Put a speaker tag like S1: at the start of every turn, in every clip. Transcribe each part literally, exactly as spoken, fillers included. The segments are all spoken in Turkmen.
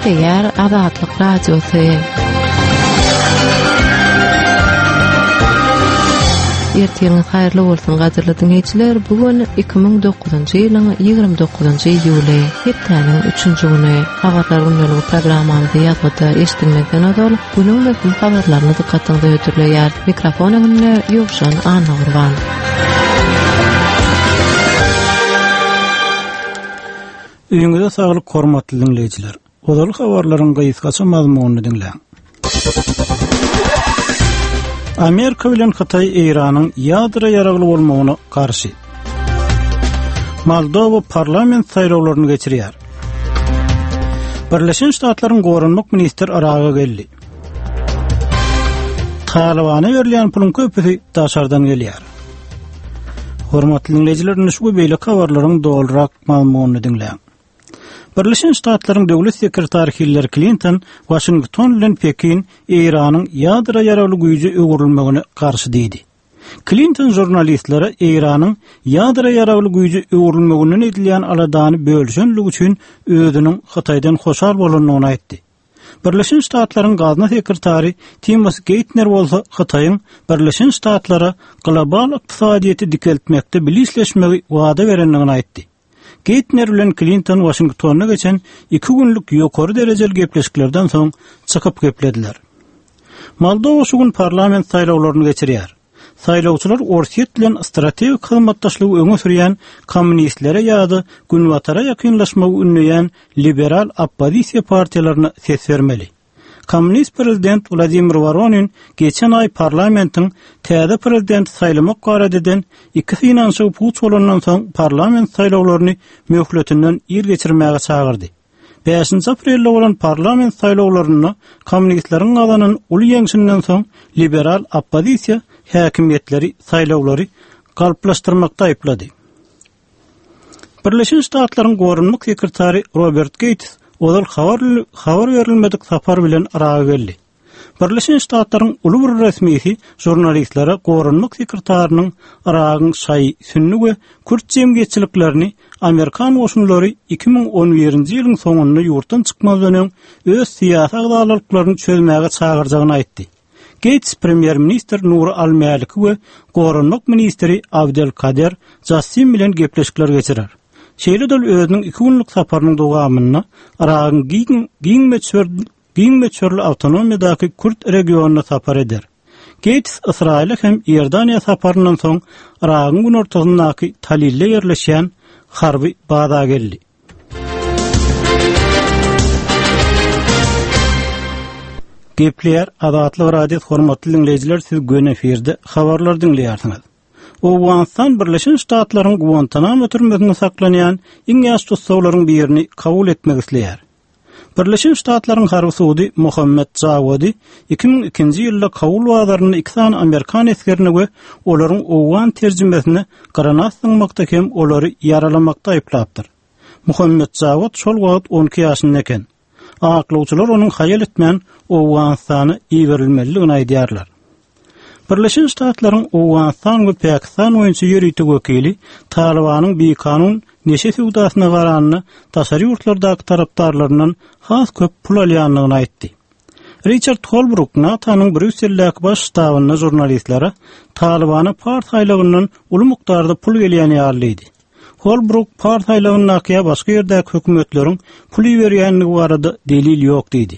S1: Gepleýär Azatlyk Radiosy. Ertiriňiz haýyrly bolsun gadyrly diňleýjiler. Bu gün iki müň dokuzynjy ýylyň ýigrimi dokuzynjy iýuly, hepdäniň üçünji güni. Habarlar gündeligi programmamyzy ýazgyda eşidilmezden ozal günüň möhüm habarlaryny dykgatyňyza hödürleýär. Mikrofon öňünde Ýowşan Annagurban.
S2: Öýüňize saglyk hormatly diňleýjiler. Ozal habarlaryň gysgaça mazmunyny diňläň. Amerika bilen Hytaý Eýranyň ýadro ýaragly bolmagyna garşy. Moldowa parlament saýlawlaryny geçirýär. Birleşen Ştatlaryň goranmak ministri Yraga geldi. Talybana berilýän puluň köpüsi daşardan gelýär. Hormatly diňleýjiler, indi şu we beýleki habarlaryň dolurak mazmunyny diňläň. Birleşen Ştatlaryň döwlet sekretary Hillary Klinton Waşington bilen Pekin Eýranyň ýadro ýaragly güýje öwrülmegine garşy diýdi. Klinton žurnalistlere Eýranyň ýadro ýaragly güýje öwrülmeginden edilýän aladany bölüşenligi üçin özüniň Hytaýdan hoşal bolandygyny aýtdy. Birleşen Ştatlaryň gazna sekretary Timothy Geithner bolsa Hytaýyň Birleşen Ştatlara global ykdysadyýeti dikeltmekde bilisleşmegi wada berendigini aýtdy. Geithner bilen Klinton Waşingtonda geçen iki günlük ýokary derejeli gepleşiklerden soň çykyp geplediler. Moldowa şu gün parlament saýlawlaryny geçirýär. Saýlawçylar Orsýet bilen strategik hyzmatdaşlygy öňe sürýän kommunistlere ýa-da Günbatara ýakynlaşmagy ündeýän liberal oppozisiýa partiýalaryna ses bermeli. Kommunist prezident Wladimir Woronin geçen aý parlamentiň täze prezidenti saýlamak barada eden iki synanyşygy puç bolandan soň parlament saýlawlaryny möhletinden ir geçirmäge çagyrdy. Bäşinji aprelde bolan parlament saýlawlarynda kommunistleriň gazanan uly ýeňşinden soň liberal oppozisiýa häkimiýetleri saýlawlary galplaşdyrmakda aýyplady. Birleşen Ştatlaryň goranmak sekretary Robert Gates ozal habar, habar berilmedik sapar bilen Yraga geldi. Birleşen Ştatlaryň uly bir resmisi žurnalistlere goranmak sekretarynyň Yragyň şaýy, sünni we kürt jemgyýetçiliklerini Amerikan goşunlary iki müň on birinji ýylyň soňunda ýurtdan çykmazdan öň öz syýasy agzalyklaryny çözmäge çagyrjagyny aýtdy. Gates premýer-ministr Nuri Al-Maliki we goranmak ministri Abdel Kader Jassim bilen gepleşikler geçirer. Şeýle de özüniň iki günlük saparynyň dowamynda Yragyň giň, giň möçber, giň möçberli awtonomiýadaky Kürt regionyna sapar eder. Gates Ysraýyla hem Iordaniýa saparyndan soň Yragyň günortasyndaky Talilde ýerleşýän harby baza geldi. Gepleýär Azatlyk Radiosy hormatly diňleýjiler, siz göni efirde habarlar diňleýärsiňiz. Owganystan Birleşen Ştatlaryň Guantanamo türmesinde saklanýan iň ýaş tussaglaryň birini kabul etmek isleýär. Birleşen Ştatlaryň harby sudy Muhammed Jawadi iki müň ikinji ýylda Kabul bazarynda iki sany Amerikan esgerini we olaryň owgan terjimesini granat zyňmakda hem olary ýaralamakda aýyplapdyr. Muhammed Jawad şol wagt on iki ýaşynda eken. Aklawçylar onuň haýal etmän Owganystana iberilmelidigini aýdýarlar. Birleşen Ştatlaryň Owganystan we Pakistan boýunça ýörite wekili Talybanyň bikanun neşe söwdasyna garanda daşary ýurtlardaky tarapdarlaryndan has köp pul alýandygyny aýtdy. Richard Holbrooke NATO-nyň Brýusseldäki baş ştabynda žurnalistlere Talybana Pars aýlagyndan uly mukdarda pul gelýän ýaly diýdi. Holbrooke Pars aýlagyndaky ýa başga ýerdäki hökümetleriň pul iberýändigi barada delil ýok diýdi.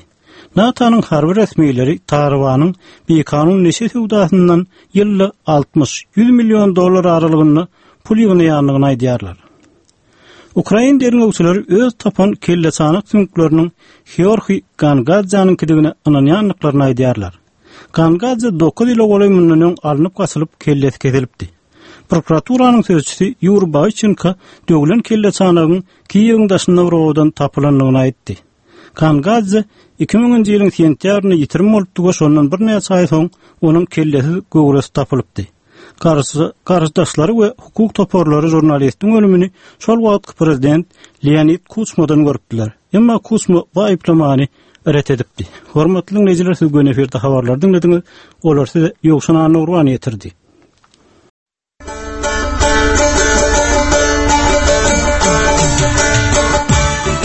S2: NATO-nyň harby resmileri Talybanyň bikanun neşe söwdasyndan ýylda altmyş ýüz million dollar aralygynda pul ýygnaýandygyny aýdýarlar. Ukrain derňewçileri öz tapan kelleçanak süňkleriniň Georgiy Gangadzanyňkydygyna ynanýandyklaryny aýdýarlar. Gangadze dokuz ýyla golaý mundan öň alnyp gaçylyp kellesi kesilipdi. Prokuraturanyň sözçüsi Yuri Boychenko döwlen kelleçanagyň Kiýewiň daşynda bir obadan tapylandygyny aýtdy. Gangadze iki müňünji ýylyň sentýabrynda ýitirim bolupdy we şondan birnäçe aý soň onuň kellesiz göwresi tapylypdy. Garşy, garşydaşlary we hukuk toparlary žurnalistiň ölümini şol wagtky prezident Leonid Kuçmadan görüpdiler. Emma Kuçma bu aýyplamany ret edipdi. Hormatly dinleýjiler, siz göni efirde habarlar diňlediňiz. Olar size Ýowşan Annagurban ýetirdi.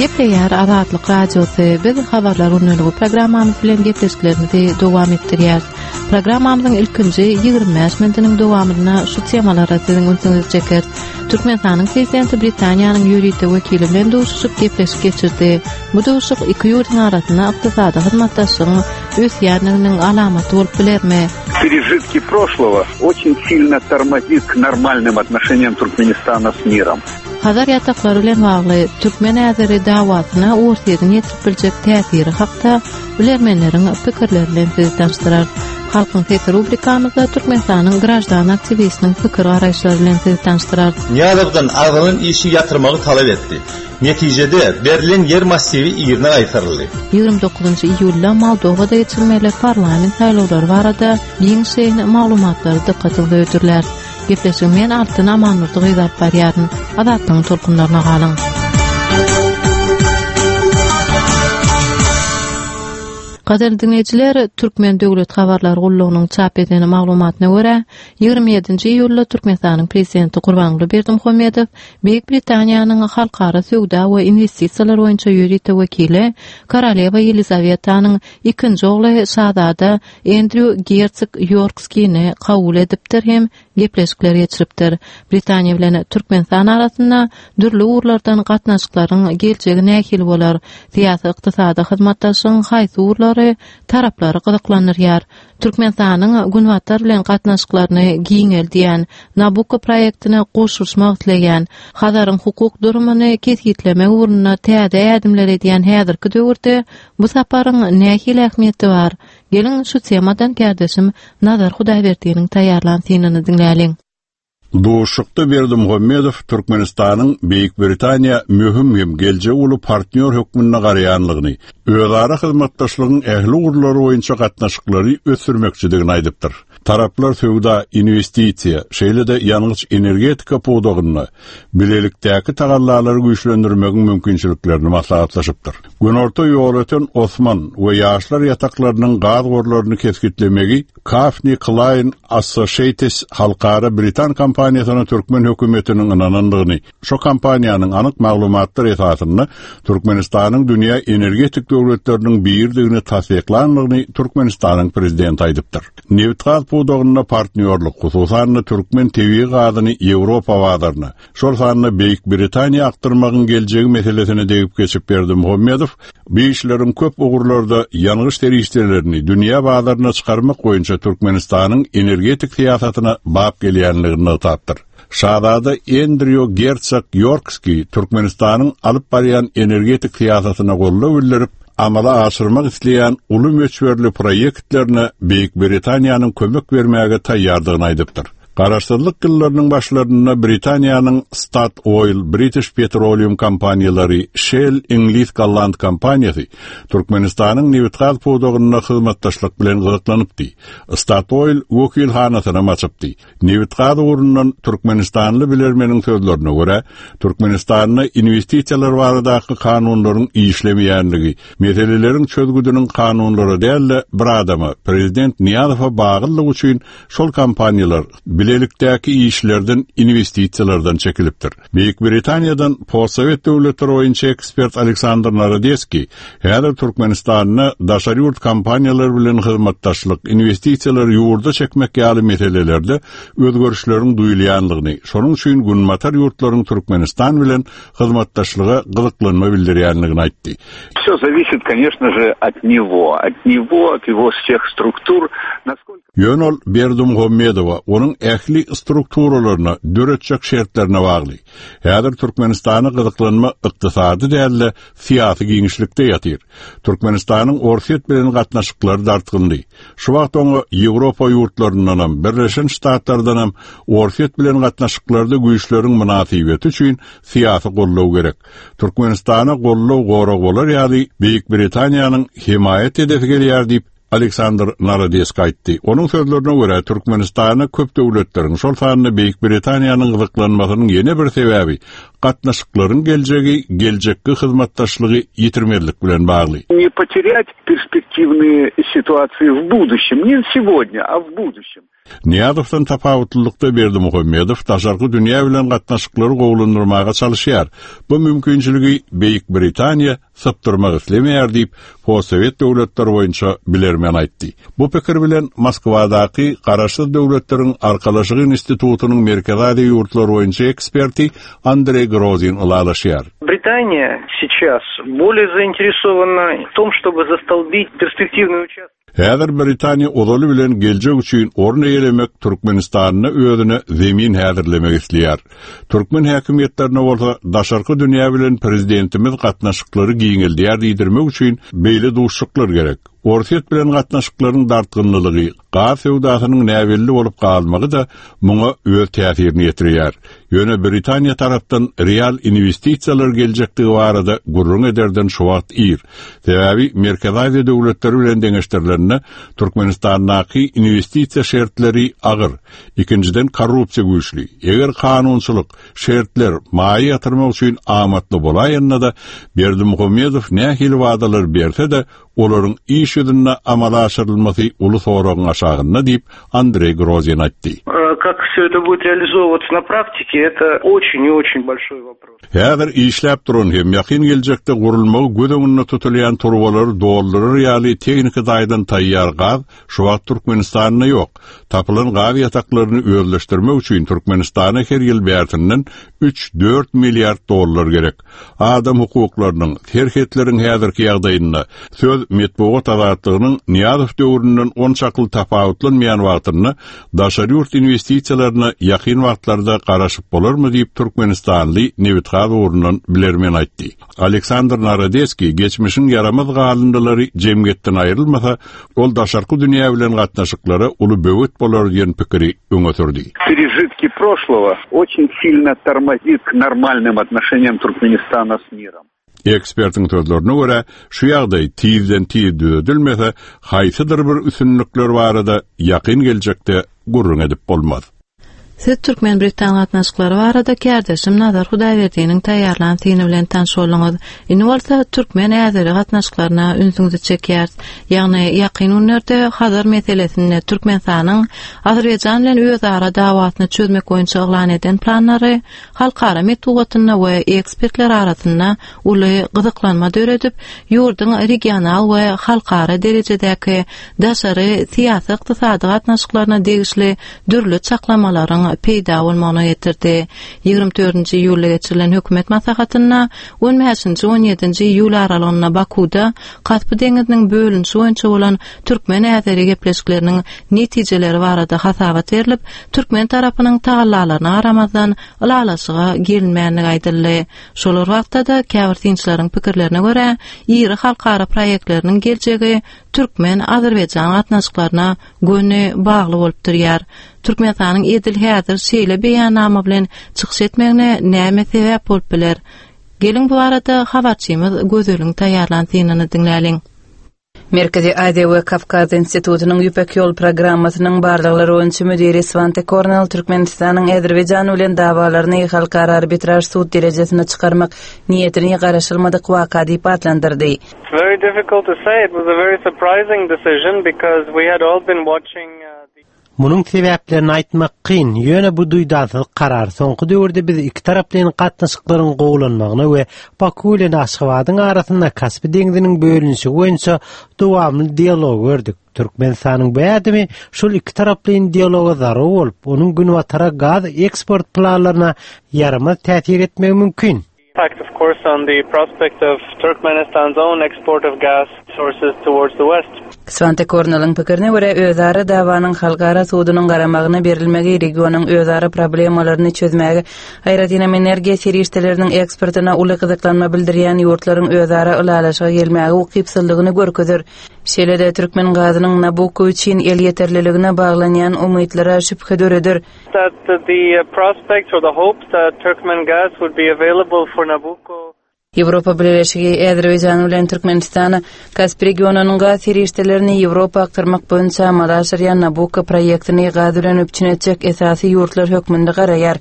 S1: Gepleýär Gepleýär Azatlyk Radiosy. Biz habarlar günlügi programmamyz bilen gepleşiklerimizi dowam etdirýäris. Programmamyzyň ilkinji ýigrimi bäş minutynyň dowamynda şu temalara siziň ünsüňizi çeker. Türkmenistanyň prezidenti Britaniýanyň ýörite wekili bilen duşuşyp gepleşik geçirdi. Bu duşuşyk iki ýurduň arasynda ykdysady hyzmatdaşlygyň ösýänliginiň alamaty bolup bilermi?
S3: Пережитки прошлого очень сильно тормозит к нормальным отношениям Туркменистана с миром.
S1: Hazar ýataklary bilen bagly Türkmen Azeri dawasyna Orsýetiň ýetirip biljek täsiri hakda bilermenleriň pikirleri bilen sizi tanyşdyrar. Halkyň sesi rubrikamyzda Türkmenistanyň graždan aktiwistiniň pikir garaýyşlary bilen sizi tanyşdyrar.
S4: Nyýazowdan agzalan işi ýatyrmagy talap etdi. Netijede berlen ýer massiwi ýerine gaýtaryldy.
S1: Ýigrimi dokuzynjy iýulda Moldowada geçirilmeli parlament saýlawlary barada giňişleýin maglumatlary dykgatyňyza hödürler. Gepleşigi men Altyn Amanurdy gyz alyp barýaryn. Azatlygyň tolkunlaryna galyň. Gadyrly dinleýjiler, Türkmen Döwlet Habarlar Gullugynyň çap eden maglumatyna görä, ýigrimi ýedinji iýulda Türkmenistanyň prezidenti Gurbanguly Berdimuhamedow Beýik Britaniýanyň halkara söwda we investisiýalar boýunça ýörite wekili Koroleva Ýelizavetanyň ikinji ogly Şazada Endrýu Gersog Ýorkskini kabul edipdir hem gepleşikler geçiripdir. Britaniýa bilen Türkmenistan arasynda dürli ugurlardan gatnaşyklaryň geljegi nähili bolar? Syýasy ykdysady hyzmatdaşlygyň haýsy ugurlary taraplary gyzyklandyrýar? Türkmenistanyň Günbatar bilen gatnaşyklaryny giňeldýän, Nabucco proýektine goşulyşmak isleýän, Hazaryň hukuk durumyny kesgitlemek ugrunda täze ädimler edýän häzirki döwürde bu saparyň nähili ähmiýeti bar? Geliň şu temadan kärdeşim Nazar Hudaýberdiniň taýýarlan synyny diňläliň.
S5: Duşuşykda Berdimuhamedow Türkmenistanyň Beýik Britaniýa möhüm hem geljek uly partnýor hökmünde garaýanlygyny, özara hyzmatdaşlygyň ähli ugurlary boýunça gatnaşyklary ösdürmekçidigini aýdypdyr. Taraplar söwda, investisiýa, şeýle-de ýangyç energetika pudagynda bilelikdäki tagallalary güýçlendirmegiň mümkinçiliklerini maslahatlaşypdyr. Günorta ýol öten Osman we ýaşlar ýataklarynyň gaz gorlaryny kesgitlemegi Kafni Klein Associates halkara Britan kompaniýasyna Türkmen hökümetiniň ynanandygyny, şu kompaniýanyň anyk maglumatlar esasynda Türkmenistanyň dünýä energetik döwletleriniň birdigini tassyklandygyny Türkmenistanyň prezidenti aýdypdyr. Nebit-gaz pudagynda partnýorlyk, hususan-da türkmen tebigy gazyny Ýewropa bazaryna, şol sanda Beýik Britaniýa akdyrmagyň geljegi meselesine degip geçip Berdimuhamedow, bu işleriň köp ugurlarda ýangyç serişdelerini dünýä bazaryna çykarmak boýunça Türkmenistanyň energetik syýasatyna bap gelýänligini nygtapdyr. Şazada Endrýu Gersog Ýorkski Türkmenistanyň alyp barýan energetik syýasatyna goldaw bildirip, amala aşyrmak isleýän uly möçberli proýektlerine Beýik Britaniýanyň kömek bermäge taýýardygyny aýdypdyr. Garaşsyzlyk ýyllarynyň başlarynda Britaniýanyň Statoil, British Petroleum kompaniýalary, Shell Iňlis Golland kompaniýasy Türkmenistanyň nebit-gaz pudagynda hyzmatdaşlyk bilen gyzyklanypdy. Statoil wekilhanasyny açypdy. Nebit-gaz ugrundan Türkmenistanly bilermeniň sözlerine görä, Türkmenistanda investisiýalar baradaky kanunlaryň işlemeýänligi, meseleleriň çözgüdiniň kanunlara däl-de bir adama, prezident Nyýazowa baglylygy üçin şol kompaniýalar bilelikdäki işlerden, investisiýalardan çekilipdir. Beýik Britaniýadan postsowet döwletleri boýunça ekspert Aleksandr Narodeskiý häzir Türkmenistanda daşary ýurt kompaniýalary bilen hyzmatdaşlyk, investisiýalary ýurda çekmek ýaly meselelerde özgerişleriň duýulýanlygyny, şonuň üçin Günbatar ýurtlaryň Türkmenistan bilen hyzmatdaşlyga gyzyklanma bildirýänligini aýtdy.
S3: Все зависит, конечно же, от него, от него, от его всех структур. Насколько
S5: Ýöne ol Berdimuhamedowa onuň ähli strukturalaryna döretjek şertlerine bagly. Häzir Türkmenistana gyzyklanma ykdysady däl-de syýasy giňişlikde ýatyr. Türkmenistanyň Orsýet bilen gatnaşyklary dartgyndy. Şu wagt oňa Ýewropa ýurtlaryndanam, Birleşen Ştatlardanam Orsýet bilen gatnaşyklarda güýçleriň mynasybeti üçin syýasy goldaw gerek. Türkmenistana goldaw gorag bolar ýaly Beýik Britaniýanyň hemaýat edesi gelýär diýip Aleksandr Narodeskiý aýtdy. Onuň sözlerine görä Türkmenistana köp döwletleriň, şol sanda Beýik Britaniýanyň gyzyklanmasynyň ýene bir sebäbi Gatnaşyklaryň geljegi geljekki hyzmatdaşlygy ýitirmezlik bilen bagly.
S3: Не потерять перспективные ситуации в будущем, не сегодня, а в будущем.
S5: Nyýazowdan tapawutlylykda Berdimuhamedow daşarky dünýä bilen gatnaşyklary gowulandyrmaga çalyşýar. Bu mümkinçiligi Beýik Britaniýa sypdyrmak islemeýär diýip, Postsowet döwletleri boýunça bilermen aýtdy. Bu pikir bilen Moskwadaky Garaşsyz Döwletleriň Arkalaşygy institutynyň Merkezi Aziýa ýurtlary boýunça eksperti Andrey Grozin ylalaşýar.
S6: Британия сейчас более заинтересована в том, чтобы застолбить перспективный участок.
S5: Häzir Britaniýa ozaly bilen geljek üçin orun eýelemek Türkmenistanyna özüne zemin häzirlemek isleýär. Türkmen häkimiýetlerine bolsa daşarky dünýä bilen prezidentimiz gatnaşyklary giňeldýär diýdirmek üçin beýle duşuşyklar gerek. Orsýet bilen gatnaşyklaryň dartgynlygy, gaz söwdasynyň näbelli bolup galmagy da muňa öz täsirini ýetirýär. Ýöne Britaniýa tarapdan real investisiýalar geljekdigi barada gürrüň ederden şu wagt ir. Sebäbi Merkezi Aziýa döwletleri bilen deňeşdirileninde Türkmenistandaky investisiýa şertleri agyr. Ikinjiden korrupsiýa güýçli. Eger kanunçylyk şertler maýa ýatyrmak üçin amatly bolaýanda da Berdimuhamedow nähili wadalar berse de olaryň iş ýüzünde amala aşyrylmasy uly soragyň aşagynda diýip Andrey Grozin aýtdy.
S6: Э, Как все это будет реализовываться на практике, это очень и очень большой вопрос.
S5: Häzir işläp duran hem ýakyn geljekde gurulmagy göz öňünde tutulýan turbalary doldurar ýaly tehniki taýdan taýýar gaz şu wagt Türkmenistanda ýok. Tapylan gaz ýataklaryny özleşdirmek üçin Türkmenistana her ýyl bärsinden üç-dört milliard dollar gerek. Adam hukuklarynyň, serhetleriň häzirki ýagdaýynda söz metbugat azatlygynyň Nyýazow döwründen on çakly tapawutlanmaýan wagtynda daşary ýurt investisiýalaryna ýakyn wagtlarda garaşyp bolarmy diýip Türkmenistanly nebitgaz ugrundan bilermen aýtdy. Aleksandr Narodeskiý geçmişiň ýaramaz galyndylary jemgyýetden aýrylmasa, ol daşarky dünýä bilen gatnaşyklara uly böwet bolar diýen pikiri öňe sürdi.
S3: Пережитки прошлого очень сильно тормозит к нормальным отношениям Туркменистана с миром.
S5: Ekspertiň sözlerine görä, şu ýagdaý tizden tiz düzedilmese, haýsydyr bir üstünlikler barada ýakyn geljekde gürrüň edip bolmaz.
S1: Siz Türkmen-Britan gatnaşyklary barada kärdeşim Nazar Hudaýberdiniň taýýarlan syny bilen tanyş bolduňyz. Indi bolsa Türkmen-Azeri gatnaşyklaryna ünsüňizi çekýäris. Ýagny ýakyn günlerde Hazar meselesinde Türkmenistanyň Azerbaýjan bilen özara dawasyny çözmek boýunça yglan eden planlary halkara metbugatynda we ekspertler arasynda uly gyzyklanma döredip, ýurduň regional we halkara derejedäki daşary syýasy ykdysady gatnaşyklaryna degişli dürli çaklamalaryň peýda bolmagyna getirdi. Ýigrimi dördünji iýulda geçirilen hökümet maslahatynda on bäşinji on ýedinji iýul aralygynda Bakuda Kaspi deňiziniň bölünişi boýunça bolan Türkmen-Azeri gepleşikleriniň netijeleri barada hasabat berlip, Türkmen tarapynyň tagallalaryna garamazdan ylalaşyga gelinmänligi aýdyldy. Şolar wagtda-da käbir synçylaryň pikirlerine görä, iri halkara proýektleriniň geljegi Türkmen-Azerbaýjan gatnaşyklaryna göni bagly bolup durýar. Türkmenistanyň edil häzir şeýle beýannama bilen çykyş etmegine näme sebäp bolup biler? Geliň bu arada habarçymyz Gözeliň taýýarlan synyny diňläliň.
S7: Merkezi Aziýa we Kawkaz institutynyň Ýüpek ýol programmasynyň barlaglary boýunça müdiri Svante Kornel Türkmenistanyň Azerbaýjan bilen dawalaryny halkara arbitraž sud derejesine çykarmak niýetini garaşylmadyk waka diýip atlandyrdy.
S6: It's very difficult to say. It was a very surprising decision because we had all been watching, uh, the
S8: Munuň sebäplerini aýtmak kyn, ýöne bu duýdansyz karar soňky döwürde biz iki taraplaýyn gatnaşyklaryň gowulanmagyna we Baku bilen Aşgabadyň arasynda Kaspi deňziniň bölünişi boýunça dowamly dialog gördük. Türkmenistanyň bu ädimi şol iki taraplaýyn dialoga zarur bolup, onuň günbatara gaz eksport planlaryna ýaramaz täsir etmegi mümkin.
S6: Impact, of course, on the prospect of Turkmenistan's own export of gas sources towards the west.
S7: Svante Korneliň pikirine görä, özara dawanyň halkara sudunyň garamagyna berilmegi regionyň özara problemalaryny çözmäge, aýratynam energiýa serişdeleriniň eksportyna uly gyzyklanma bildirýän ýurtlaryň özara ylalaşyga gelmäge ukypsyzlygyny görkezer. Şeýle-de Türkmen gazynyň Nabucco üçin elýeterliligine baglanýan umytlara şübhe döreder.
S6: That the prospects or the hopes that Turkmen gas would be available for Nabucco.
S7: Ýewropa Bileleşigi Azerbaýjan bilen Türkmenistana Kaspi regionynyň gaz serişdelerini Ýewropa aktarmak boýunça amala aşyrýan Nabucco proýektini gaz bilen üpjün etjek esasy ýurtlar hökmünde garaýar.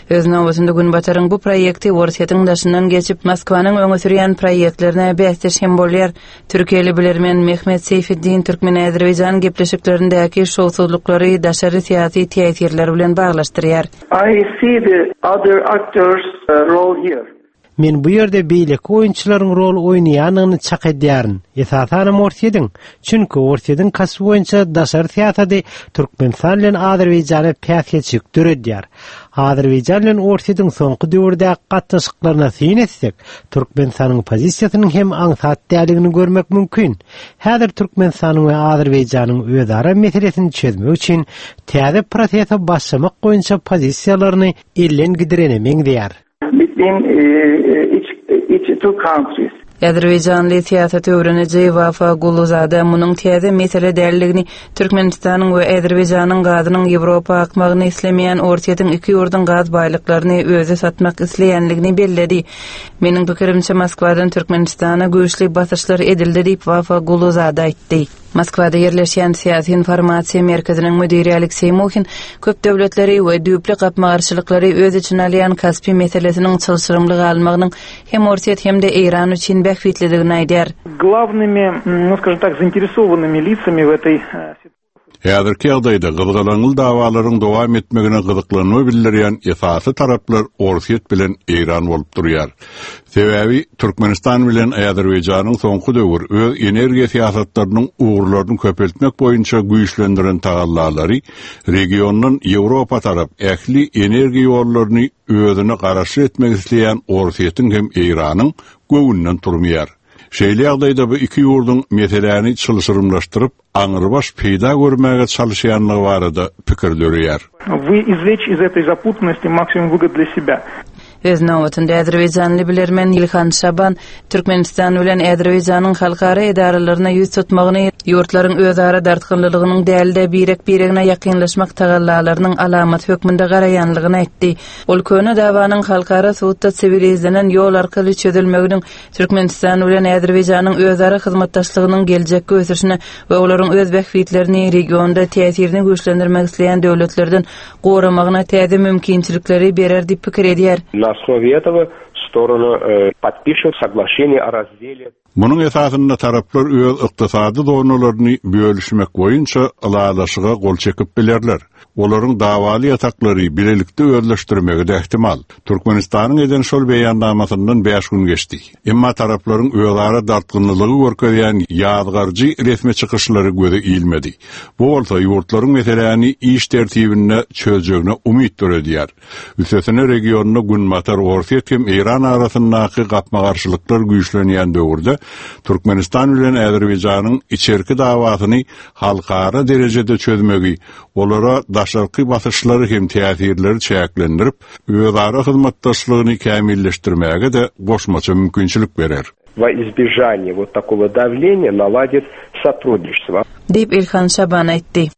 S7: Öz nobatynda Günbataryň bu proýekti Orsýetiň daşyndan geçip Moskwanyň öňe sürýän proýektlerine bäsdeş hem bolýar. Türkiýeli bilermen Mehmet Seyfetdin Türkmen-Azerbaýjan gepleşiklerindäki şowsuzlyklary daşary syýasy täsirler bilen baglaşdyrýar.
S9: I see the other actors uh, role here.
S8: Men bu ýerde beýleki oýunçylaryň rol oýnaýanyny çak edýärin. Esasanam Orsýetiň. Çünki Orsýetiň Kaspi boýunça daşary syýasaty Türkmenistan bilen Azerbaýjana päsgelçilik döredýär. Azerbaýjan bilen Orsýetiň soňky döwürde gatnaşyklaryna syn etsek, Türkmenistanyň pozisiýasynyň hem aňsat däldigini görmek mümkin. Häzir Türkmenistanyň we Azerbaýjanyň özara meselesini çözmek üçin täze prosese başlamak boýunça pozisiýalaryny elden gidirene meňzeýär.
S9: Between uh, each, each two countries.
S7: Azerbaýjanly syýasat öwreniji Wafa Guluzada munuň täze mesele däldigini Türkmenistanyň we Azerbaýjanyň gazynyň Ýewropa akmagyny islemeýän Orsýetiň iki ýurduň gaz baýlyklaryny özi satmak isleýänligini belledi. Meniň pikirimçe Moskwadan Türkmenistana güýçli basyşlar edildi diýip Wafa Guluzada aýtdy. Moskwada ýerleşýän syýasy informasiýa merkeziniň müdiri Alekseý Muhin köp döwletleri we düýpli gapma-garşylyklary öz içine alýan Kaspi meselesiniň çylşyrymly galmagynyň hem Orsýet hem-de Eýran üçin bähbitlidigini aýdýar.
S10: Главными, ну, скажем так, заинтересованными лицами в этой э,
S5: Häzirki ýagdaýda gyzgalaňly dawalaryň dowam etmegine gyzyklanma bildirýän esasy taraplar Orsýet bilen Eýran bolup durýar. Sebäbi Türkmenistan bilen Azerbaýjanyň soňky döwür öz energiýa syýasatlarynyň ugurlaryny köpeltmek boýunça güýçlendiren tagallalary regiondan Ýewropa tarap ähli energiýa ýollaryny özüne garaşly etmek isleýän Orsýetiň hem Eýranyň göwünden turmaýar. Şeýle ýagdaýda bu iki ýurduň meseläni çylşyrymlaşdyryp, aňrybaş peýda görmäge çalışýanlygy barada pikir döreýär.
S10: Вы извлечь из этой запутанности максимум выгод для себя.
S7: Öz nobatynda Azerbaýjanly bilermen Ilhan Şaban Türkmenistan bilen Azerbaýjanyň halkara edaralaryna ýüz tutmagyny ýurtlaryň özara dartgynlylygynyň dälde birek-biregine ýakynlaşmak tagallalarynyň alamaty hökmünde garaýanlygyny aýtdy. Ol köne dawanyň halkara sudda siwilizlenen ýol arkaly çözülmeginiň Türkmenistan bilen Azerbaýjanyň özara hyzmatdaşlygynyň geljekki ösüşine we olaryň öz bähbitlerini regionda täsirini güýçlendirmek isleýän döwletlerden goramagyna täze mümkinçilikleri berer diýip pikir edýär.
S11: На основе этого стороны э, подпишут соглашение о разделе
S5: Munuň esasynda taraplar öz ykdysady zonalaryny bölüşmek boýunça ylalaşyga gol çekip bilerler. Olaryň dawaly ýataklary bilelikde özleşdirmegi de ihtimal. Türkmenistanyň eden şol beýannamasyndan beş gün geçdi. Emma taraplaryň özara dartgynlygy görkezýän ýazgarjy resmi çykyşlary göze ilmedi. Bu bolsa ýurtlaryň meseläni iş tertibinde çözjegine umyt döredýär. Üstesine regionda Günbatar Orsýet hem Eýran arasyndaky gapma-garşylyklar güýçlenýän döwürde Türkmenistan bilen Azerbaýjanyň içerki dawasyny halkara derejede çözmegi, olara daşarky basyşlary hem täsirleri çäklendirip, özara hyzmatdaşlygyny kämilleşdirmäge de goşmaça mümkinçilik berer.
S11: Во избежание вот такого давления наладит сотрудничество.
S7: Diýip Ilhan Şaban aýtdy.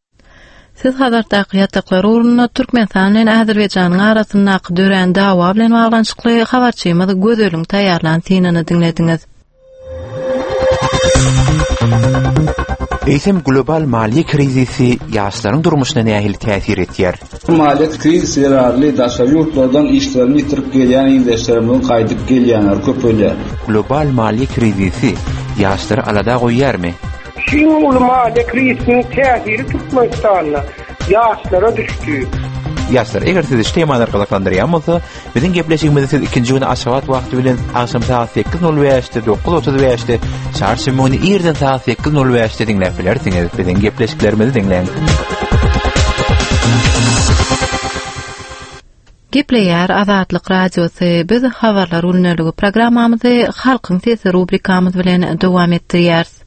S1: Siz Hazardaky ýataklar ugrunda Türkmenistan bilen Azerbaýjanyň arasyndaky dörän dawa bilen baglanyşykly habarçymyz Gözeliň taýýarlan synyny diňlediňiz.
S12: Eýsem global maliýe krizisi ýaşlaryň durmuşyna nähili täsir etýär?
S13: Maliýe krizisi zerarly daşary ýurtlardan işlerini ýitirip gelýän ildeşlerimiziň gaýdyp gelýänleri köpelýär.
S12: Global maliýe krizisi ýaşlary alada goýýarmy?
S14: Şu uly maliýe krizisiniň täsiri Türkmenistanda ýaşlara düşdi.
S12: Ýaşlar, eger sizi şu temalar gyzyklandyrýan bolsa, biziň gepleşigimizi siz ikinji gün Aşgabat wagty bilen agşam saat sekiz nol bäşde, dokuz otuz bäşde, çarşenbe güni irden saat sekiz nol bäşde diňläp bilersiňiz. Biziň gepleşiklerimizi diňläň.
S1: Gepleýär Azatlyk Radiosy. Biz habarlar günlügi programmamyzy Halkyň sesi rubrikamyz bilen dowam etdirýäris.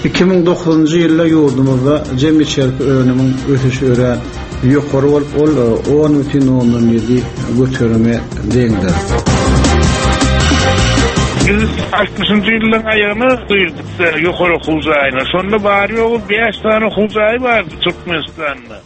S13: Iki müň dokuzunjy ýylda ýurdumyzda jem içerki önümiň ösüşi örän ýokary bolup, ol on bütin ondan ýedi göterime deňdir.
S15: Biz altmyşynjy ýyllaryň aýagyna girdik ýokary okuw jaýyna. Şonda bar ýogy bäş sany okuw jaýy bardy Türkmenistanda.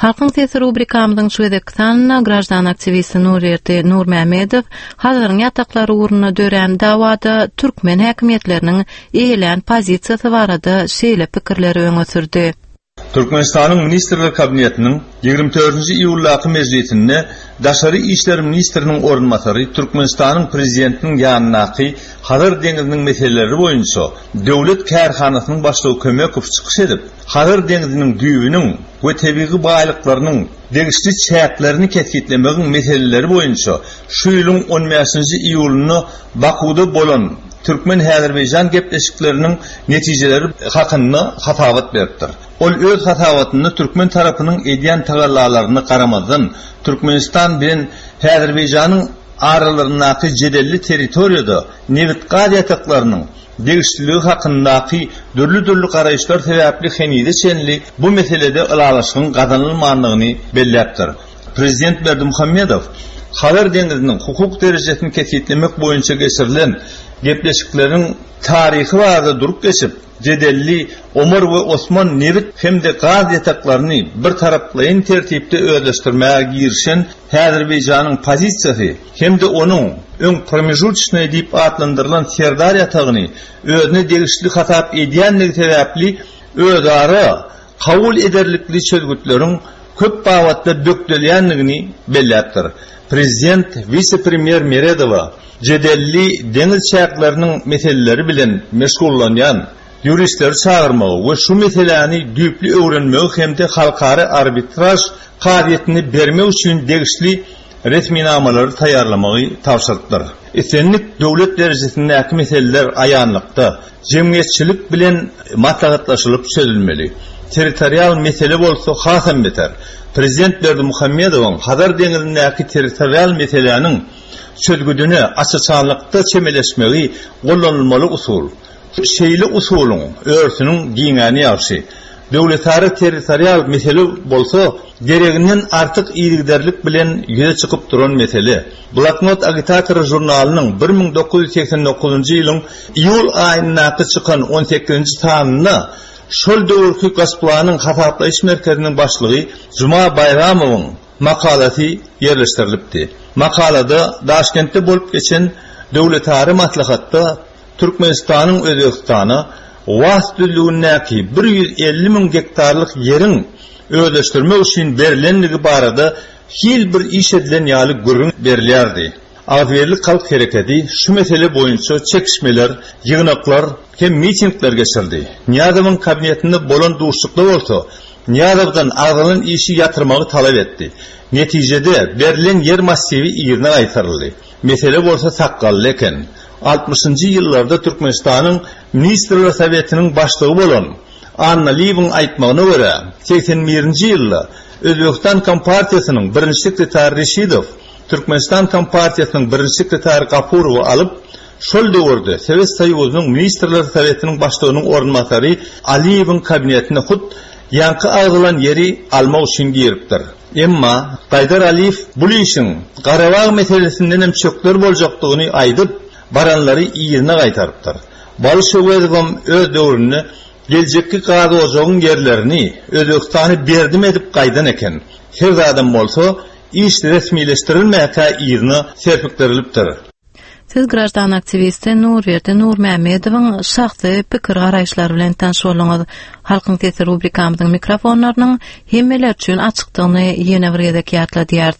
S1: Halkyň sesi rubrikamyzyň şu gezekki sanynda graždan aktiwisti Nurberdi Nurmämmedow Hazaryň ýataklary ugrunda dörän dawada türkmen häkimiýetleriniň eýelän pozisiýasy barada şeýle pikirleri öňe sürdi.
S4: Türkmenistanyň Ministrler Kabinetiniň ýigrimi dördünji iýuldaky mejlisinde Daşary işler ministriniň orunbasary Türkmenistanyň Prezidentiniň ýanyndaky Hazar deňziniň meseleleri boýunça döwlet kärhanasynyň başlygy Kömekow çykyş edip, Hazar deňziniň düýbüniň we tebigy baýlyklarynyň degişli çäklerini kesgitlemegiň meseleleri boýunça şu ýylyň on bäşinji iýulynda Bakuwda bolan türkmen-häzirbeýjan gepleşikleriniň netijeleri hakynda hasabat beripdir. Ol öz hasabatynda türkmen tarapynyň edýän tagallalaryna garamazdan, Türkmenistan bilen Häzirbeýjanyň aralaryndaky jedelli territoriýada nebit-gaz ýataklarynyň degişliligi hakyndaky dürli-dürli garaýyşlar sebäpli henize çenli bu meselede ylalaşygyň gazanylmandygyny belläpdir. Prezident Berdimuhamedow Hazar deňziniň hukuk derejesini kesgitlemek boýunça geçirilen gepleşikleriň taryhy barada durup geçip, jedelli Omar we Osman nebit hem-de gaz ýataklaryny bir taraplaýyn tertipde özleşdirmäge girişen Häzirbeýjanyň pozisiýasy hem-de onuň öň promežutçnyý diýip atlandyrylan Serdar ýatagyny özüne degişli hasap edýändigi sebäpli özara kabul ederlikli çözgütleriň köp babatda bökdelýändigini belläpdir. Prezident wise-premýer Meredowa jedelli deňiz çäkleriniň meseleleri bilen meşgullanýan ýuristleri çagyrmagy we şu meseläni düýpli öwrenmegi hem-de halkara arbitraž kazyýetini bermek üçin degişli resminamalary taýýarlamagy tabşyrypdyr. Islendik döwlet derejesindäki meseleler aýanlykda jemgyýetçilik bilen maslahatlaşylyp çözülmeli. Territorial mesele bolsa hasam beter. Prezident Berdimuhamedowyň Hazar deňzindäki territorial meseläniň çözgüdine aç-açanlykda çemeleşmegi gollanylmaly usul. Şeýle usulyň örtüniň giňäni ýagşy. Döwletara territorial mesele bolsa gereginden artyk yzygiderlik bilen ýüze çykyp duran mesele. Bloknot agitatory žurnalynyň bir müň dokuz ýüz segsen dokuzynjy ýylyň iýul aýyndaky çykan on sekizinji sanynda şol döwürki Gazplanyň hasaplaýyş merkeziniň başlygy Juma Baýramowyň makalasy ýerleşdirilipdi. Makalada Daşkentde bolup geçen döwletara maslahatda Türkmenistanyň Özbegistana Was düzlügindäki bir ýüz elli müň gektarlyk ýeriň özleşdirmek üçin berilendigi barada hil bir iş edilen ýaly gürrüň berilýärdi. Agzybirlik halk hereketi şu mesele boýunça çekişmeler, ýygnaklar hem mitingler geçirdi. Nyýazowyň kabinetinde bolan duşuşykda bolsa Nyýazowdan agzalan işi ýatyrmagy talap etdi. Netijede berilen ýer massiwi yzyna gaýtaryldy. Mesele bolsa sakgally eken. Altmyşynjy ýyllarda Türkmenistanyň Ministrler Sowetiniň başlygy bolan Annaliýewiň aýtmagyna görä, segsen birinji ýylda Özbegistan Kompartiýasynyň birinji sekretary Reşidow Türkmenistan Kompartiýasynyň birinji sekretary Gapurowy alyp, şol döwürde Sowet Soýuzynyň Ministrler Sowetiniň başlygynyň orunbasary Aliýewiň kabinetine hut ýaňky agzalan ýeri almak üçin giripdir. Emma Gaýdar Aliýew bul işiň Garabag meselesindenem çökder boljakdygyny aýdyp, baranlary yzyna gaýtarypdyr. Baly Şöwezowam öz döwründe geljekki gaz ojagyň ýerlerini Özbegistany berdim edip gaýdan eken. Her zadam bolsa iş resmileşdirilmäkä yzyna serpikdirilipdir.
S1: Siz graždan aktiwisti Nurberdi Nurmämmedowyň şahsy pikir garaýyşlary bilen tanyş bolduňyz. Halkyň sesi rubrikamyzyň mikrofonlarynyň hemmeler üçin açykdygyny ýene bir gezek ýatladýarys.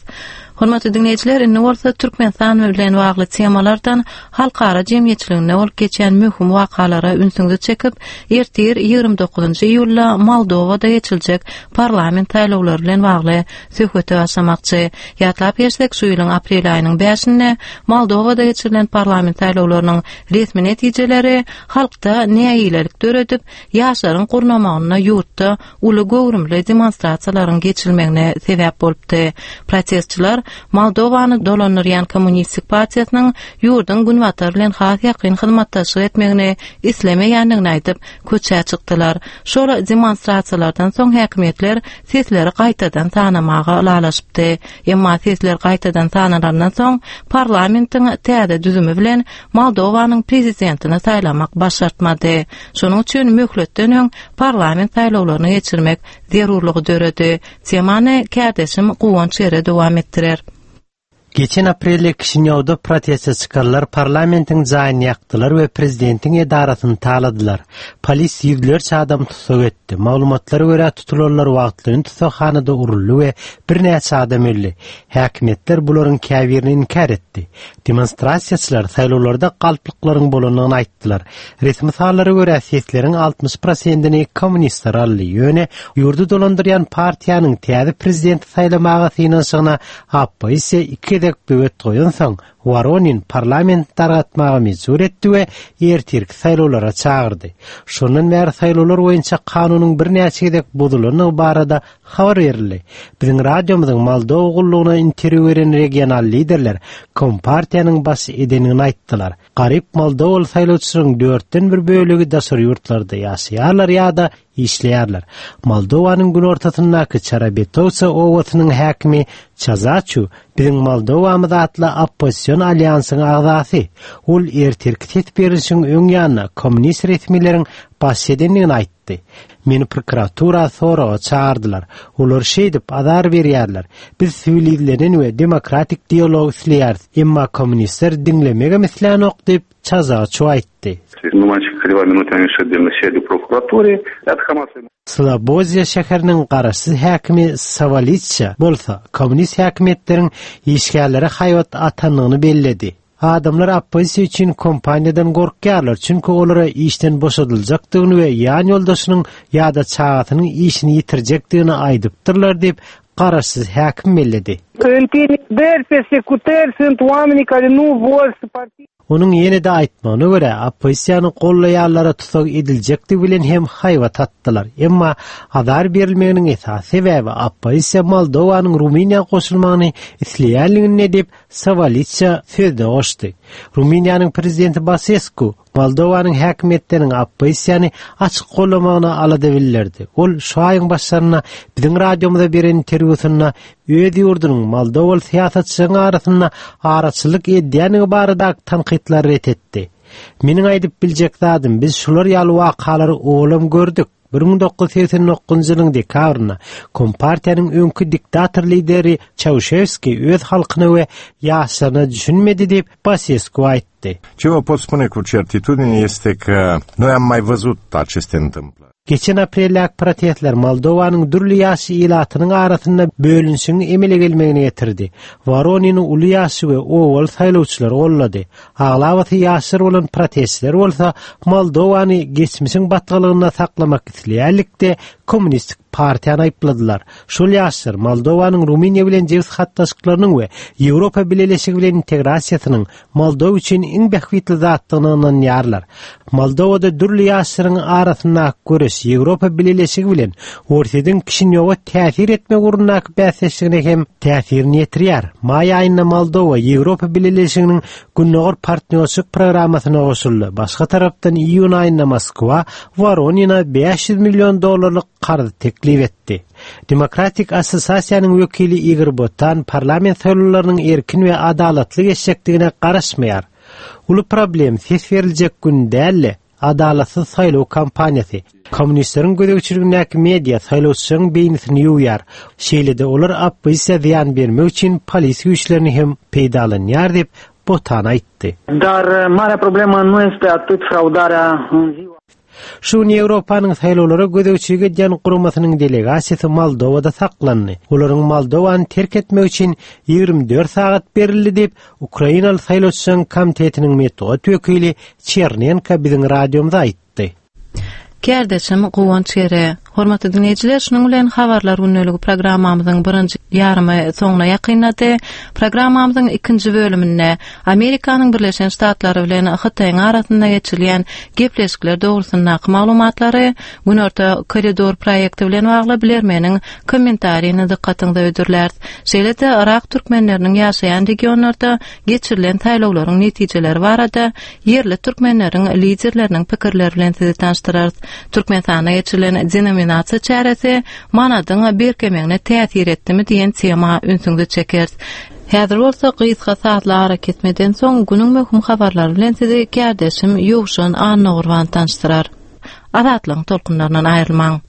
S1: Hormatly dinleýjiler, indi bolsa Türkmenistan bilen bagly temalardan halkara jemgyýetçiliginde bolup geçen möhüm wakalara ünsüňizi çekip, ertir ýigrimi dokuzynjy iýulda Moldowada geçiljek parlament saýlawlary bilen bagly söhbete başlamakçy. Ýatlap geçsek, şu ýylyň aprel aýynyň bäşinde Moldowada geçirilen parlament saýlawlarynyň resmi netijeleri halkda nägilelik döredip, ýaşlaryň gurnamagynda ýurtda uly göwrümli demonstrasiýalaryň geçirilmegine sebäp bolupdy. Protestçiler Moldowany dolandyrýan Kommunistik partiýasynyň ýurduň Günbatar bilen has ýakyn hyzmatdaşlyk etmegini islemeýändigini aýdyp, köçä çykdylar. Şol demonstrasiýalardan soň häkimiýetler sesleri gaýtadan sanamaga ylalaşypdy. Emma sesler gaýtadan sanalandan soň parlamentiň täze düzümi bilen Moldowanyň prezidentini saýlamak başartmady. Şonuň üçin möhletden öň parlament saýlawlaryny geçirmek zerurlygy döredi. Temany kärdeşim Guwanç Ere dowam etdirer.
S8: Geçen aprelde Kişinýowda proteste çykarlar parlamentiň jaýyny ýakdylar we prezidentiň edarasyny taladylar. Polis ýüzlerçe adam tussag etdi. Maglumatlara görä tutulanlar wagtlaýyn tussaghanada uruldy we birnäçe adam öldi. Häkimiýetler bularyň käbirini inkär etdi. Demonstrasiýaçylar saýlawlarda galplyklaryň bolandygyny aýtdylar. Resmi sanlara görä sesleriň altmyş prosentini kommunistler aldy. Ýöne ýurdy dolandyrýan partiýanyň täze prezidenti saýlamaga synanyşygyna oppozisiýa iki gezek böwet goýansoň, Woronin parlament dargatmaga mejbur etdi we ertirki saýlawlara çagyrdy. Şondan bäri saýlawlar boýunça kanunyň birnäçe gezek bozulandygy barada habar berildi. Biziň radiomyzyň Moldowa gullugyna interwýu beren regional liderler Kompartiýanyň baş edenini aýtdylar. Garyp Moldowaly saýlawçylaryň dörtden bir bölegi daşary ýurtlarda ýaşaýarlar ýa-da işleýärler. Moldowanyň günortasyndaky Çarabetowça obasynyň häkimi Çazaçu biziň Moldowamyz atly oppozision alýansyň agzasy. Ol ertirki ses berişiň öň ýanyna kommunist resmileriň baş edendigini aýtdy. Meni prokuratura soraga çagyrdylar. Olar şeýdip azar berýärler. Biz siwilizlenen we demokratik dialog isleýäris. Emma kommunistler diňlemegem islänok diýip Çazaçu aýtdy. Sloboziýa şäheriniň garaşsyz häkimi Sawalitsa bolsa kommunist häkimiýetleriň işgärlere haýbat atandygyny belledi. Adamlar oppozisiýa üçin kompaniýadan gorkýarlar, çünki olara işden boşadyljakdygyny we ýan ýoldaşynyň ýa-da çagasynyň işini ýitirjekdigini aýdypdyrlar diýip garaşsyz häkim belledi.
S14: Intimidări, persecutări sunt oamenii care nu vor să participe.
S8: Onuň ýene-de aýtmagyna görä, oppozisiýany gollaýanlara tussag ediljekdigi bilen hem haýbat atdylar. Emma azar berilmeginiň esasy sebäbi oppozisiýa Moldowanyň Rumyniýa goşulmagyny isleýänligini diýip Sawalitsa sözde goşdy. Rumyniýanyň prezidenti Basescu Moldowanyň häkimiýetleriniň oppozisiýany açyk gollamagyna alada bildirdi. Ol şu aýyň başlarynda biziň radiomyza beren interwýusynda öz ýurdunyň Moldowaly syýasatçylaryň arasynda araçylyk edýändigi barada tankytlary ret etdi. Meniň aýdyp biljek zadym, biz şular ýaly wakalary olam gördük. bir müň dokuz ýüz segsen dokuzynjy ýylyň dekabrynda Kompartiýanyň öňki diktator lideri Çauşewski öz halkyna we ýaşlaryna düşünmedi diýip Basescu aýtdy.
S16: Ce vă pot spune cu certitudine este că noi am mai văzut aceste întâmplări.
S8: Geçen apreldäki protestler Moldowanyň dürli ýaş ilatynyň arasynda bölünişigiň emele gelmegine getirdi. Woronini uly ýaşy we owaly saýlawçylar gollady. Aglabasy ýaşlar bolan protestler bolsa Moldowany geçmişiň batgalygynda saklamak isleýärlikde kommunistik partiýany aýypladylar. Şol ýaşlar Moldowanyň Rumyniýa bilen jebis gatnaşyklarynyň we Ýewropa Bileleşigi bilen integrasiýasynyň Moldowa üçin iň bähbitli zatdygyna ynanýarlar. Moldowada dürli ýaşlaryň arasyndaky göreş Ýewropa Bileleşigi bilen Orsýetiň Kişinýowa täsir etmek ugrundaky bäsdeşligine hem täsirini ýetirýär. Maý aýynda Moldowa Ýewropa Bileleşiginiň Gündogar partnýorçylyk programmasyna goşuldy. Başga tarapdan iýun aýynda Moskwa Woronina bäş ýüz million dollarlyk karz teklip etdi. Demokratik Assosiasiýanyň wekili Igor Botan parlament saýlawlarynyň erkin we adalatly geçjekdigine garaşmaýar. Uly problem ses beriljek gün däl-de, adalatsyz saýlaw kampaniýasy. Kommunistleriň gözegçiligindäki media saýlawçylaryň beýnisini ýuwýar. Şeýle-de olar oppozisiýa zyýan bermek üçin polis güýçlerini hem peýdalanýar diýip Botan aýtdy.
S9: Dar marea problemă nu este atât fraudarea în ziua
S8: Şu gün Ýewropanyň saýlawlara gözegçilik edýän guramasynyň delegasiýasy Moldowada saklandy. Olaryň Moldowany terk etmek üçin ýigrimi dört sagat berildi diýip Ukrainaly saýlawçylaryň komitetiniň metbugat wekili Çernenko biziň radiomyza aýtdy.
S1: Kärdeşim Guwanç Ere, Hormatly dinleýjiler, şunuň bilen habarlar gündeligi programmamyzyň birinji ýarymy soňuna ýakynlady. Programmamyzyň ikinji bölüminde Amerikanyň Birleşen Ştatlary bilen Hytaýyň arasynda geçirilýän gepleşikler dogrusyndaky maglumatlary Günorta koridor proýekti bilen bagly bilermeniň kommentaryny dykgatyňyza hödürläris. Şeýle-de Yrak türkmenleriniň ýaşaýan regionlarda geçirilen saýlawlaryň netijeleri barada ýerli türkmenleriň liderleriniň pikirleri bilen sizi tanyşdyrarys. Türkmenistanda geçirilen denominasiýa çäresi manadyň berkemegine täsir etdimi diýen tema ünsüňizi çekeris. Häzir bolsa gysga sazly arakesmeden soň günüň möhüm habarlary bilen sizi kärdeşim Ýowşan Annagurban tanyşdyrar. Azatlygyň tolkunlaryndan aýrylmaň.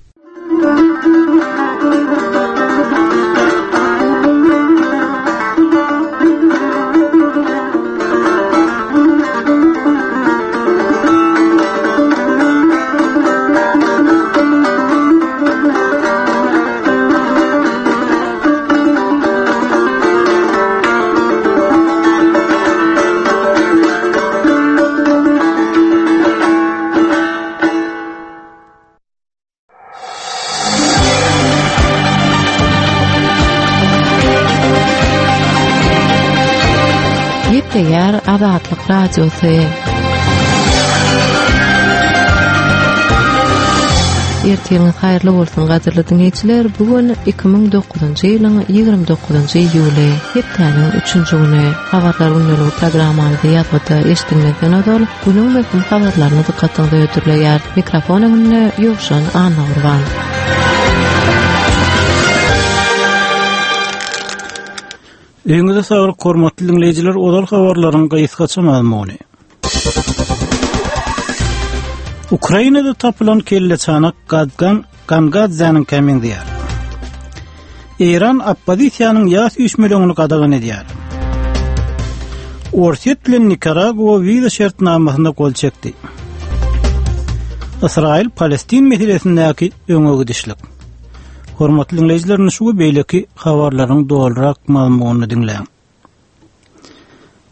S1: Gepleýär Azatlyk Radiosy. Ertiriňiz haýyrly bolsun gadyrly diňleýjiler. Bu gün iki müň dokuzynjy ýylyň ýigrimi dokuzynjy iýuly, hepdäniň üçünji güni. Habarlar gündeligi programmamyzy ýazgyda eşidilmezden ozal günüň möhüm habarlaryny dykgatyňyza hödürleýär. Mikrofon öňünde Ýowşan Annagurban.
S2: Öýüňize saglyk hormatly diňleýjiler, ozal habarlaryň gysgaça mazmuny. Ukrainada tapylan kelleçanak Gadgan Gangadzäniň meňzeýär. Eýran oppozisiýanyň ýas üýşmeleňini gadagan edýär. Orsýet bilen Nikaragua wiza şertnamasyna gol çekdi. Ysraýyl Palestin meselesindäki öňe gidişlik. Hormatly diňleýjiler, şu we beýleki habarlaryň dolurak mazmunyny diňläň.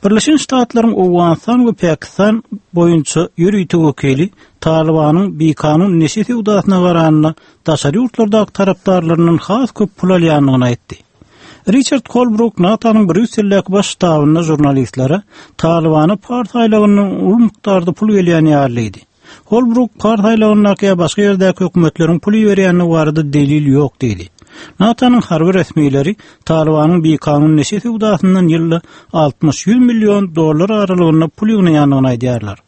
S2: Birleşen Ştatlaryň Owganystan we Pakistan boýunça ýörite wekili Talibanyň bikanun neşe söwdasyna garanda daşary ýurtlardaky tarapdarlaryndan has köp pul alýandygyny aýtdy. Richard Holbrooke NATO-nyň Brýusseldäki baş ştabynda žurnalistlere Talibana Pars aýlagyndan uly mukdarda pul gelýän ýalydy. Holbrooke Pars aýlagyndaky ýa başga ýerdäki hökümetleriň pul iberýändigi barada delil ýok diýdi. NATO-nyň harby resmileri Talibanyň bikanun neşe söwdasyndan ýylda altmyş ýüz million dollar aralygynda pul ýygnaýandygyny aýdýarlar.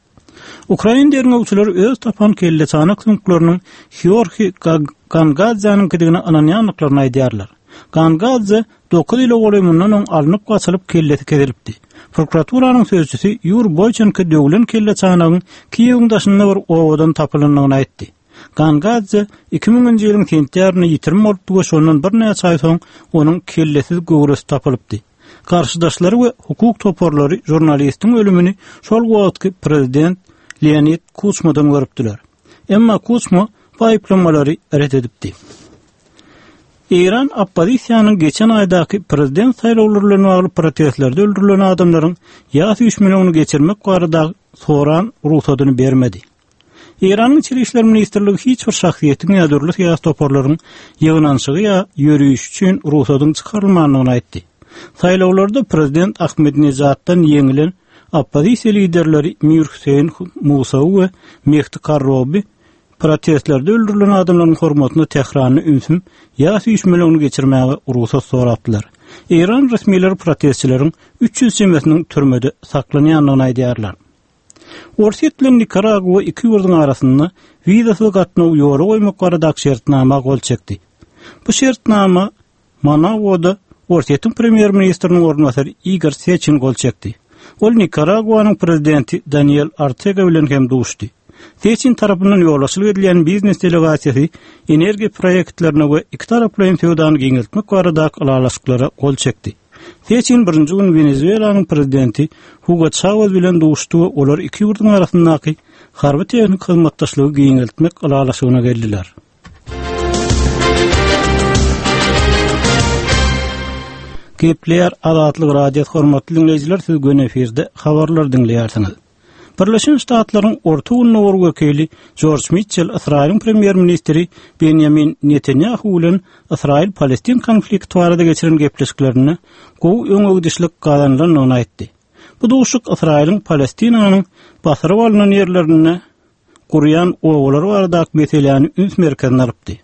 S2: Ukrain derňewçileri öz tapan kelleçanak süňkleriniň Georgi Gangadzäniňkidigine ynanýandyklaryny aýdýarlar. Gangadze dokuz ýyla golaý mundan öň alnyp gaçylyp kellesi kesilipdi. Prokuraturanyň sözçüsi Ýur Boýçenko döwlen kelleçanagyň Kiýewiň daşynda bir owadan tapylandygyny aýtdy. Gangadze iki müňünji ýylyň sentýabrynda ýitirim bolupdy we şondan birnäçe aý soň onuň kellesiz göwresi tapylypdy. Garşydaşlary we hukuk toparlary žurnalistiň ölümini şol wagtky prezident Leonid Kuçmadan görüpdiler. Emma Kuçma bu aýyplamalary ret edipdi. Eýran oppozisiýanyň geçen aýdaky prezident saýlawlary bilen bagly protestlerde öldürilen adamlaryň ýas üýşmeleňini geçirmek barada soran rugsadyny bermedi. Eýranyň İçeri İşler Ministrligi hiç bir şahsyýetiň ýa dürli syýasy toparlaryň ýygnanyşygy ýa ýörüşi üçin rugsadyň çykarylmandygyny aýtdy. Saýlawlarda prezident Ahmedinejaddan ýeňilen oppozisiýa liderleri Mir Hüseýin Musawi we Mehdi Karrobi protestlerde öldürilen adamlaryň hormatyna Tähranda ünsüm ýas üýşmeleňini geçirmäge rugsat sorapdylar. Eýran resmileri protestçileriň üç ýüz çemesiniň türmede saklanýandygyny aýdýarlar. Orsýet bilen Nikaragua iki ýurduň arasynda wizasyz gatnaw ýola goýmak baradaky şertnama gol çekdi. Bu şertnama Managuada Orsýetiň premýer-ministriniň orunbasary Igor Seçin gol çekdi. Ol Nikaraguanyň prezidenti Daniel Ortega bilen hem duşdy. Seçin tarapyndan ýolbaşçylyk edilýän biznes delegasiýasy energiýa proýektlerine we iki taraplaýyn söwdany giňeltmek baradaky ylalaşyklara gol çekdi. Seçin birinji gün Wenezuelanyň prezidenti Hugo Chavez bilen duşdy we olar iki ýurduň arasyndaky harby tehnik hyzmatdaşlygy giňeltmek ylalaşygyna geldiler. Gepleýär Azatlyk Radiosy hormatly dinleýjiler, siz gün efirde habarlar diňleýärsiňiz. Birleşen Ştatlaryň Orta Gündogar wekili Jorj Mitchell Ysraýylyň premýer-ministri Benýamin Netanýahu bilen Ysraýyl-Palestin konflikti barada geçiren gepleşiklerinde gowy öňe gidişlik gazanylandygyny aýtdy. Bu duşuşyk Ysraýylyň Palestinanyň basyryp alynan ýerlerinde gurýan obalar baradaky meseläni üns merkezine alypdy.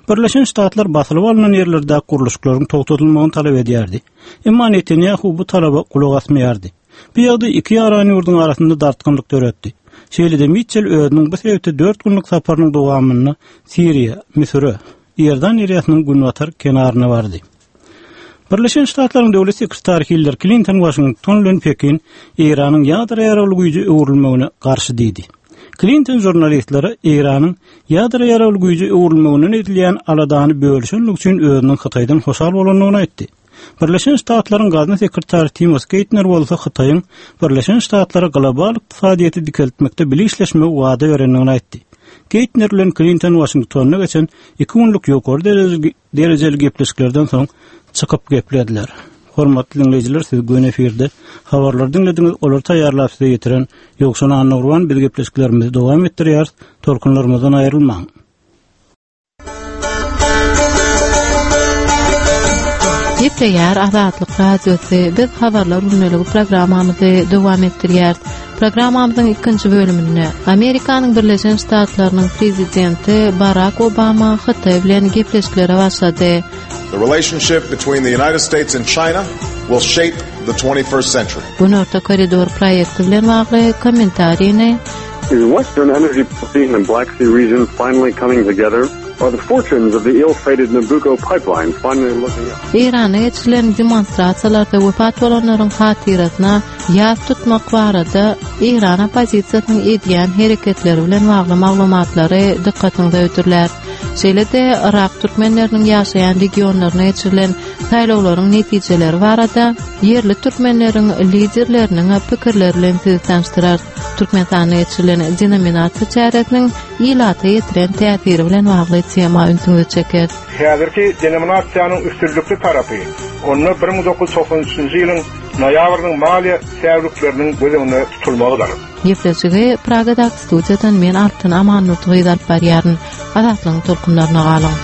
S2: Birleşen Ştatlar basylyp alynan ýerlerde gurluşyklaryň togtatylmagyny talap edýärdi. Emma Netanýahu bu talaba gulak asmaýardy. Bu ýagdaý iki ýaran ýurduň arasynda dartgynlyk döretdi. Şeýle-de Mitchell özüniň bu sebitde dört günlük saparynyň dowamynda Siriýa, Müsüre, Iordan derýasynyň günbatar kenaryna bardy. Birleşen Ştatlaryň döwlet sekretary Hillary Klinton Washington bilen Pekin Eýranyň ýadro ýaragly güýje öwrülmegine garşy diýdi. Klinton žurnalistlere Eýranyň ýadro ýaragly güýje öwrülmeginden edilýän aladany bölüşenlik üçin özüniň Hytaýdan hoşal bolandygyny aýtdy. Birleşen Ştatlaryň gazna sekretary Timothy Geithner bolsa Hytaýyň Birleşen Ştatlara global ykdysadyýeti dikeltmekde bile işleşmegi wada berendigini aýtdy. Geithner bilen Klinton Washingtonda geçen iki günlük ýokary derejeli, derejeli gepleşiklerden soň çykyp geplediler. Hormatly dinleýjiler, siz göni efirde habarlar diňlediňiz, olary taýýarlap size ýetiren Ýowşan Annagurban biz gepleşiklerimizi dowam etdirýäris. Tolkunlarymyzdan aýrylmaň.
S1: Gepleýär Azatlyk Radiosy. Biz habarlar gündeligi programmamyzy dowam etdirýäris. Programmamyzyň ikinji bölüminde Amerikanyň Birleşen Ştatlarynyň prezidenti Barack Obama Hytaý bilen gepleşiklere başlady.
S17: The relationship between the United States and China will shape the twenty-first century.
S1: Günorta koridor proýekti bilen bagly kommentarini
S18: Is Western energy policy in the Black Sea region finally coming together? Are the fortunes of the ill-fated Nabucco pipeline finally looking up?
S1: Eýranda geçirilen demonstrasiýalarda wepat bolanlaryň hatyrasyna ýas tutmak barada Eýran oppozisiýasynyň edýän hereketleri bilen bagly maglumatlary dykgatyňyza ötürler. Şeýle-de Irak türkmenleriniň ýaşaýan regionlaryna geçirilen saýlawlaryň netijeleri barada ýerli türkmenleriň liderleriniň pikirleri bilen sizi tanyşdyrar. Türkmenistanda geçirilen denominasiýa çäresiniň ilata ýetiren täsiri bilen bagly tema ünsüňizi çeker.
S19: Häzirki denominasiýanyň üstünlikli tarapy, onda bir müň dokuz ýüz togsan üçünji ýylyň noýabrynyň maliýe säwlikleriniň göz öňünde tutulmagydyr.
S1: Gepleşigi Pragadaky studiýadan men Altyn Amanurdy gyz alyp barýaryn. Azatlygyň tolkunlaryna galyň.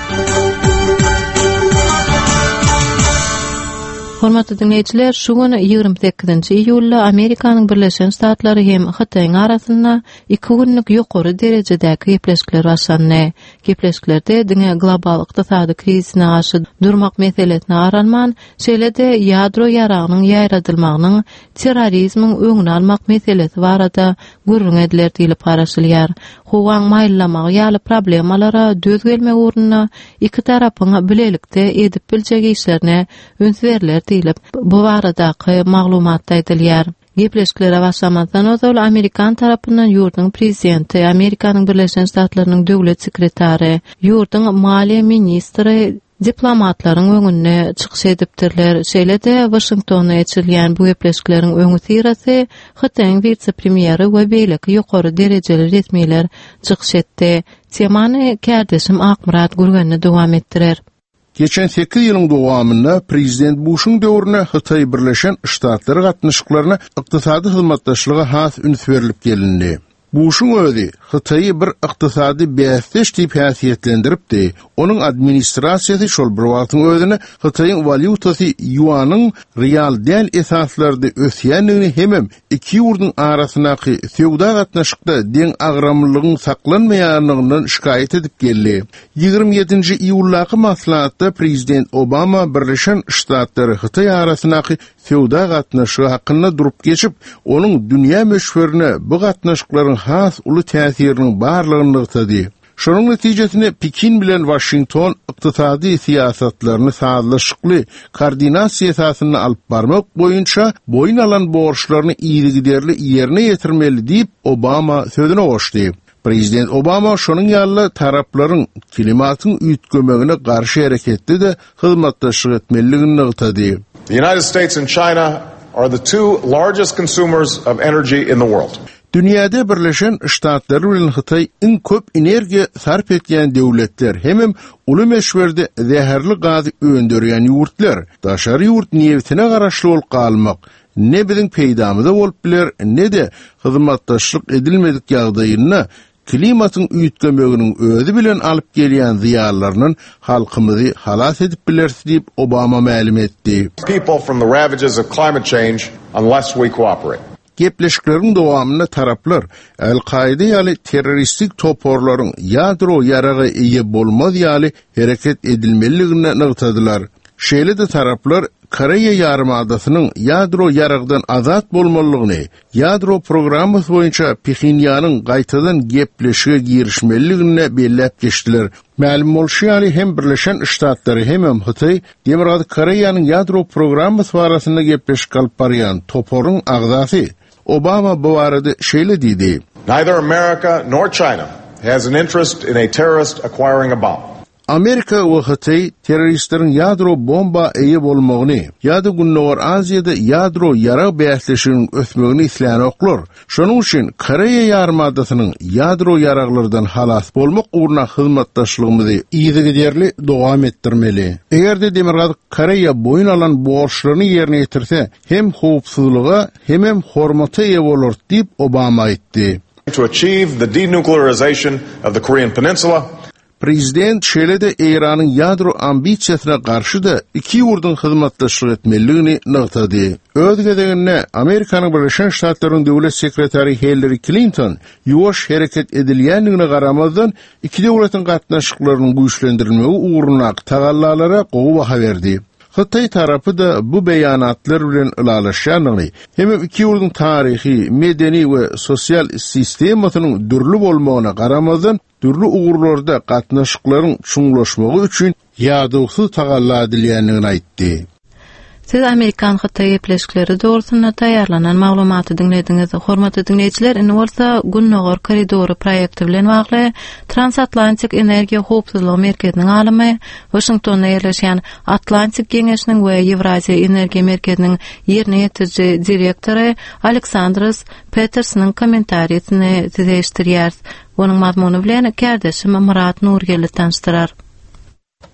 S1: Hormatly dinleýjiler, şu gün ýigrimi sekizinji iýulda Amerikanyň Birleşen Ştatlary hem Hytaýyň arasynda iki günlük ýokary derejedäki gepleşikler başlandy. Gepleşiklerde diňe global ykdysady krizisine garşy durmak meselesine aralman, şeýle-de ýadro ýaragynyň ýaýradylmagynyň terrorizmiň öňüni almak meselesi barada gürrüň ediler diýlip garaşylýar. Howaň maýyllamagy ýaly problemalara döz gelmek ugrunda iki tarapyň bilelikde edip biljek işlerine üns berler diýlip bu baradaky maglumatda aýdylýar. Gepleşiklere başlamazdan ozal Amerikan tarapyndan ýurduň prezidenti, Amerikanyň Birleşen Ştatlarynyň döwlet sekretary, ýurduň maliýe ministri diplomatlaryň öňünde çykyş edipdirler. Şeýle-de Washingtonda geçirilýän bu gepleşikleriň öňüsyrasy Hytaýyň wise-premýeri we beýleki ýokary derejeli resmiler çykyş etdi. Temany kärdeşim Akmyrat Gürgenli dowam etdirer.
S20: Geçen sekiz ýylyň dowamynda Prezident Buşuň döwründe Hytaý Birleşen Ştatlary gatnaşyklaryna ykdysady hyzmatdaşlyga has üns berlip gelindi. Buşuň özi Hytaýy bir ykdysady bäsdeş diýip häsiýetlendiripdi. Onuň administrasiýasy şol bir wagtyň özüne Hytaýyň walýutasy ýuanyň real däl esaslarda ösýändigini hemem iki ýurduň arasyndaky söwda gatnaşykda deň agramlylygyň saklanmaýanlygyndan şikaýat edip geldi. Ýigrimi ýedinji iýuldaky maslahatda Prezident Obama Birleşen Ştatlary Hytaý arasyndaky söwda gatnaşygy hakynda durup geçip, onuň dünýä möçberine bu gatnaşyklaryň has uly täsiriniň barlygyny nygtady. Şonuň netijesinde Pekin bilen Washington ykdysady syýasatlaryny sazlaşykly koordinasiýa esasynda alyp barmak boýunça boýun alan borçlaryny yzygiderli ýerine ýetirmeli diýip Obama sözüne goşdy. Prezident Obama şonuň ýaly taraplaryň klimatyň üýtgemegine garşy hereketde de hyzmatdaşlyk etmelidigini nygtady.
S17: The United States and China are the two largest consumers of energy in the world.
S20: Dünýäde Birleşen Ştatlar bilen Hytaý iň köp energiýa sarp etýän döwletler, hemem uly möçberde zäherli gazy öndürýän ýurtlar, daşary ýurt nebitine garaşly bolup galmak, ne biziň peýdamyza bolup biler, ne-de hyzmatdaşlyk edilmedik ýagdaýynda klimatyň üýtgemeginiň özi bilen alyp gelýän zyýanlaryndan halkymyzy halas edip bileris diýip Obama mälim etdi.
S17: People from the ravages of climate change unless we cooperate.
S20: Gepleşikleriň dowamynda taraplar El-Kaide ýaly terroristik toparlaryň ýadro ýaraga eýe bolmaz ýaly hereket edilmelidigini nygtadylar. Şeýle-de taraplar Koreýa ýarymadasynyň ýadro ýaragdan azat bolmalydygyny, ýadro programmasy boýunça Phenýanyň gaýtadan gepleşige girişmelidigini belläp geçdiler. Mälim bolşy ýaly hem Birleşen Ştatlary hemem Hytaý Demirgazyk Koreýanyň ýadro programmasy barasynda gepleşik alyp barýan toparyň agzasy. Obama bu barada şeýle diýdi.
S17: Neither America nor China has an interest in a terrorist acquiring a bomb.
S20: Amerika we Hytaý terroristleriň ýadro bomba eýe bolmagyny ýa-da Gündogar Aziýada ýadro ýarag bäsleşiginiň ösmegini islänoklar. Şonuň üçin Koreýa ýarymadasynyň ýadro ýaraglardan halas bolmak ugruna hyzmatdaşlygymyzy yzygiderli dowam etdirmeli. Eger-de Demirgazyk Koreýa boýun alan borçlaryny ýerine ýetirse, hem howpsuzlyga, hemem hormata eýe bolar diýip Obama aýtdy.
S17: To achieve the denuclearization of the Korean Peninsula,
S20: Prezident şeýle-de Eýranyň ýadro ambisiýasyna garşy-da iki ýurduň hyzmatdaşlyk etmelidigini nygtady. Öz gezeginde Amerikanyň Birleşen Ştatlarynyň döwlet sekretary Hillary Clinton ýuwaş hereket edilýändigine garamazdan iki döwletiň gatnaşyklarynyň güýçlendirilmegi ugrundaky tagallalara gowy baha berdi. Hytaý tarapy-da bu beýanatlar bilen ylalaşýandygyny, hemem iki ýurduň taryhy, medeni we sosial sistemasynyň dürli bolmagyna garamazdan dürli ugurlarda gatnaşyklaryň çuňlaşmagy üçin ýadawsyz tagalla edilýändigini aýtdy.
S1: Siz Amerikan Hytaý gepleşikleri dogrusynda taýýarlanan maglumaty diňlediňiz. Hormatly diňleýjiler, indi bolsa Gündogar koridory proýekti bilen bagly Transatlantik energiýa howpsuzlygy merkeziniň alymy, Waşingtonda ýerleşýän Atlantik Geňeşiniň we Ýewraziýa energiýa merkeziniň ýerine ýetiriji direktory Aleksandros Petersonyň kommentariýasyny size eşitdirýäris. Onuň mazmuny bilen kärdeşim Myrat Nurgeldi tanyşdyrar.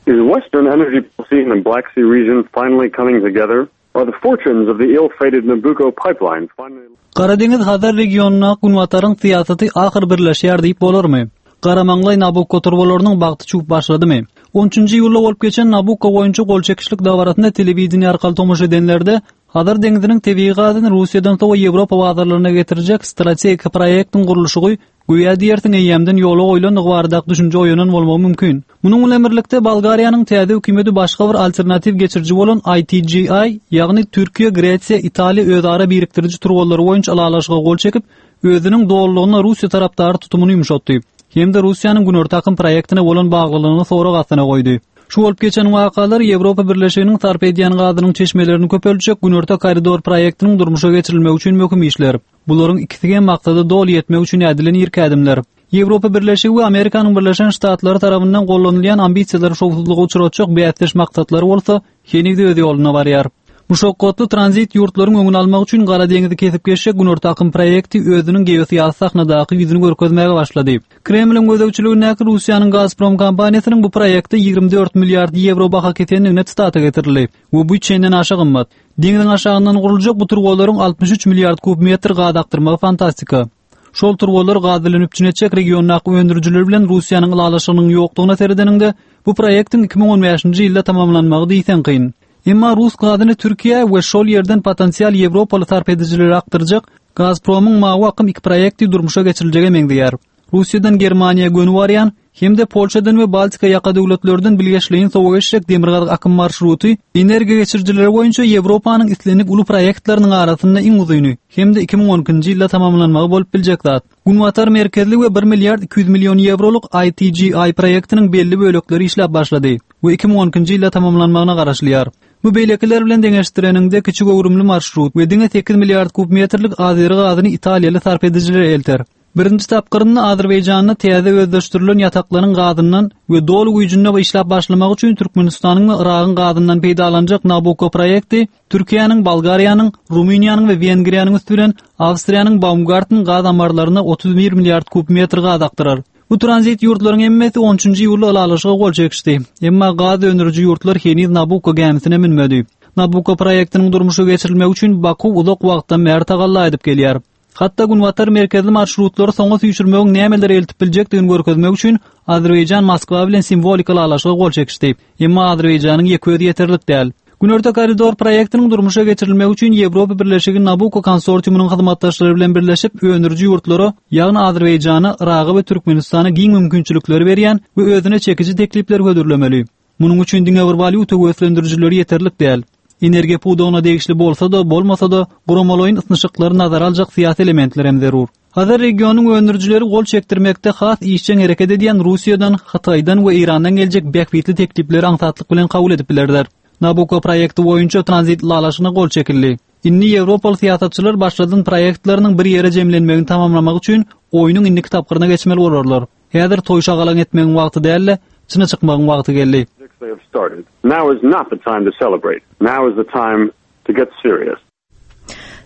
S18: Is Western energy policy in the Black Sea region finally coming together? Are the fortunes of the ill-fated Nabucco pipeline finally
S21: Gara deňiz Hazar regionyna Günbataryň syýasaty ahyr birleşýär diýip bolarmy? Garamaňlaý Nabukko turbalarynyň bagty çüwüp başladymy? On üçünji iýulda bolup geçen Nabukko boýunça gol çekişlik dabarasynda telewideniýe arkaly tomaşa edenlerde Hazar deňziniň tebigy gazyny Russiýadan sowa Ýewropa bazarlaryna getirjek strategik proýektiň gurluşygy göýä diýersiň eýýämden ýola goýlandygy baradaky düşünje oýanan bolmagy mümkin. Munuň bilen birlikde Bolgariýanyň täze hökümeti başga bir alternatiw geçiriji bolan I T G I, ýagny Türkiýe, Gresiýa, Italiýa özara birikdiriji turbalary boýunça ylalaşyga gol çekip, özüniň dolulygyna Russiýa tarapdary tutumyny ýumşatdy. Hem-de Russiýanyň Günorta akym proýektine bolan baglylygyny sorag astyna goýdy. Şu bolup geçen wakalar Ýewropa Birleşiginiň sarp edýän gazynyň çeşmelerini köpeltjek Günorta koridor proýektiniň durmuşa geçirilmegi üçin möhüm işler. Bularyň ikisi hem maksada doly ýetmek üçin ädilen irki ädimler. Ýewropa Birleşigi we Amerikanyň Birleşen Ştatlary tarapyndan gollanylýan ambisiýalary şowsuzlyga uçratjak bäsdeş maksatlary bolsa heniz öz ýoluna barýar. Muşakgatly tranzit ýurtlaryň öňüni almak üçin Gara deňizi kesip geçjek Günorta akym proýekti özüniň geosyýasy sahnadaky ýüzüni görkezmäge başlady. Kremliň gözegçiligindäki Russiýanyň Gazprom kompaniýasynyň bu proýekte ýigrimi dört milliard ýewro baha kesendigine tsitata getirildi we bu çenden aşa gymmat. Deňiziň aşagyndan guruljak bu turbalaryň altmyş üç milliard kub metr gaz akdyrmagy fantastika. Şol turbalar gaz bilen üpjün etjek regiondaky öndürijiler bilen Russiýanyň ylalaşygynyň ýokdugyna seredeniňde bu proýektiň iki müň on bäşinji ýylda tamamlanmagy diýseň kyn. Emma Rus gazyny Türkiýe we şol ýerden potensial Ýewropaly sarp edijilere akdyrjak Gazpromyň mawy akym iki proýekti durmuşa geçiriljege meňzeýär. Russiýadan Germaniýa göni barýan hem-de Polşadan we Baltika ýaka döwletlerden bilgeşleýin sowa geçjek demirgazyk akym marşruty energiýa geçirijileri boýunça Ýewropanyň islendik uly proýektleriniň arasynda iň uzyny hem-de iki müň on ikinji ýylda tamamlanmagy bolup biljek zat. Günbatar merkezli we bir milliard iki ýüz million ýewrolyk I T G I proýektiniň belli bölekleri işläp başlady we iki müň on ikinji ýylda tamamlanmagyna garaşylýar. Bu beýlekiler bilen deňeşdireniňde kiçi göwrümli marşrut we diňe sekiz milliard kub metrlik azeri gazyny italiýaly sarp edijilere elter. Birinji tapgyrynda Azerbaýjanda täze özleşdirilen ýataklaryň gazyndan we doly güýjünde işläp başlamak üçin Türkmenistanyň we Yragyň gazyndan peýdalanjak Nabucco proýekti Türkiýäniň, Bolgariýanyň, Rumyniýanyň we Wengriýanyň üsti bilen Awstriýanyň Baumgarten gaz ammarlaryna otuz bir milliard kub metr gaz akdyrar. Bu tranzit ýurtlaryň hemmesi on üçünji iýulda ylalaşyga gol çekişdi. Emma gaz öndüriji ýurtlar heniz Nabucco gämisine münmedi. Nabucco proýektiniň durmuşa geçirilmegi üçin Baku uzak wagtdan bäri tagalla edip gelýär. Hatda Günbatar merkezli marşrutlary soňa süýşürmegiň nämeleri eltip biljekdigini görkezmek üçin Azerbaýjan Moskwa bilen simwolik ylalaşyga gol çekişdi. Emma Azerbaýjanyň ýeke özi ýeterlik däl. Günorta koridor proýektiniň durmuşa geçirilmegi üçin Ýewropa Birleşigi Nabucco konsorsiumynyň hyzmatdaşlary bilen birleşip öndüriji ýurtlara, ýagny Azerbaýjana, Yraga we Türkmenistana giň mümkinçilikleri berýän we özüne çekiji teklipler hödürlemeli. Munuň üçin diňe bir walýuta höweslendirijileri ýeterlik däl. Energiýa pudagyna degişli bolsa-da, bolmasa-da, guramalaýyn ysnyşyklary nazara aljak syýasy elementler hem zerur. Hazar regionyň öndürijileri gol çekdirmekde has işjeň hereket edýän Russiýadan, Hytaýdan we Eýrandan geljek bähbitli teklipleri aňsatlyk bilen kabul edip bilerler. Nabucco proýekti boýunça tranzit ylalaşygyna gol çekildi. Indi Ýewropaly syýasatçylar başladan proýektleriniň bir ýere jemlenmegini tamamlamak üçin oýnuň indiki tapgyryna geçmeli bolarlar. Häzir toý şagalaň etmegiň wagty däl-de, çyna çykmagyň wagty geldi.
S18: They have started. Now is not the time to celebrate. Now is the time to get serious.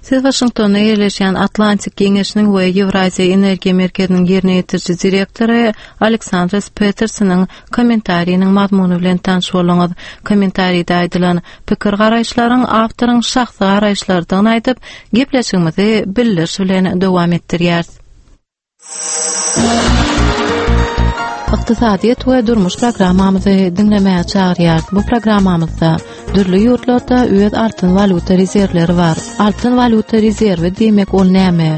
S1: Siz Waşingtonda ýerleşýän Atlantik Geňeşiniň we Ýewraziýa Energiýa Merkeziniň ýerine ýetiriji direktory Aleksandros Petersonyň kommentariniň mazmuny bilen tanyş bolduňyz. Kommentaride aýdylan pikir garaýyşlaryň awtoryň şahsy garaýyşlarydygyny aýdyp, gepleşigimizi bildiriş bilen dowam etdirýäris. Ykdysadyýet we durmuş programmamyzy diňlemäge çagyrýar. Bu programmamyzda dürli ýurtlarda öz altyn walýuta rezerwleri bar. Altyn walýuta rezerwi diýmek ol näme?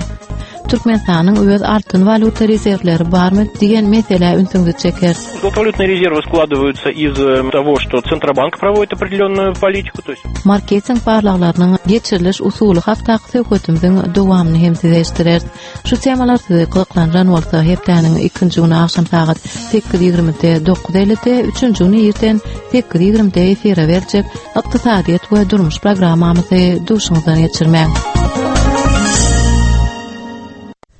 S1: Türkmenistanyň öz altyn walýuta rezerwleri barmy diýen meselä ünsüňizi çeker.
S3: Золотовалютные резервы складываются из э, того, что Центробанк проводит определенную политику, то есть
S1: Marketing barlaglarynyň geçiriliş usuly hakdaky söhbetimiziň dowamyny hem size eşitdireris. Şu temalar sizi gyzyklandyran bolsa hepdäniň ikinji güni agşam sagat sekiz ýigrimide dokuz ellide, üçünji güni irden sekiz ýigrimide efire berjek ykdysadyýet we durmuş programmamyzy duşuňyzdan geçirmäň.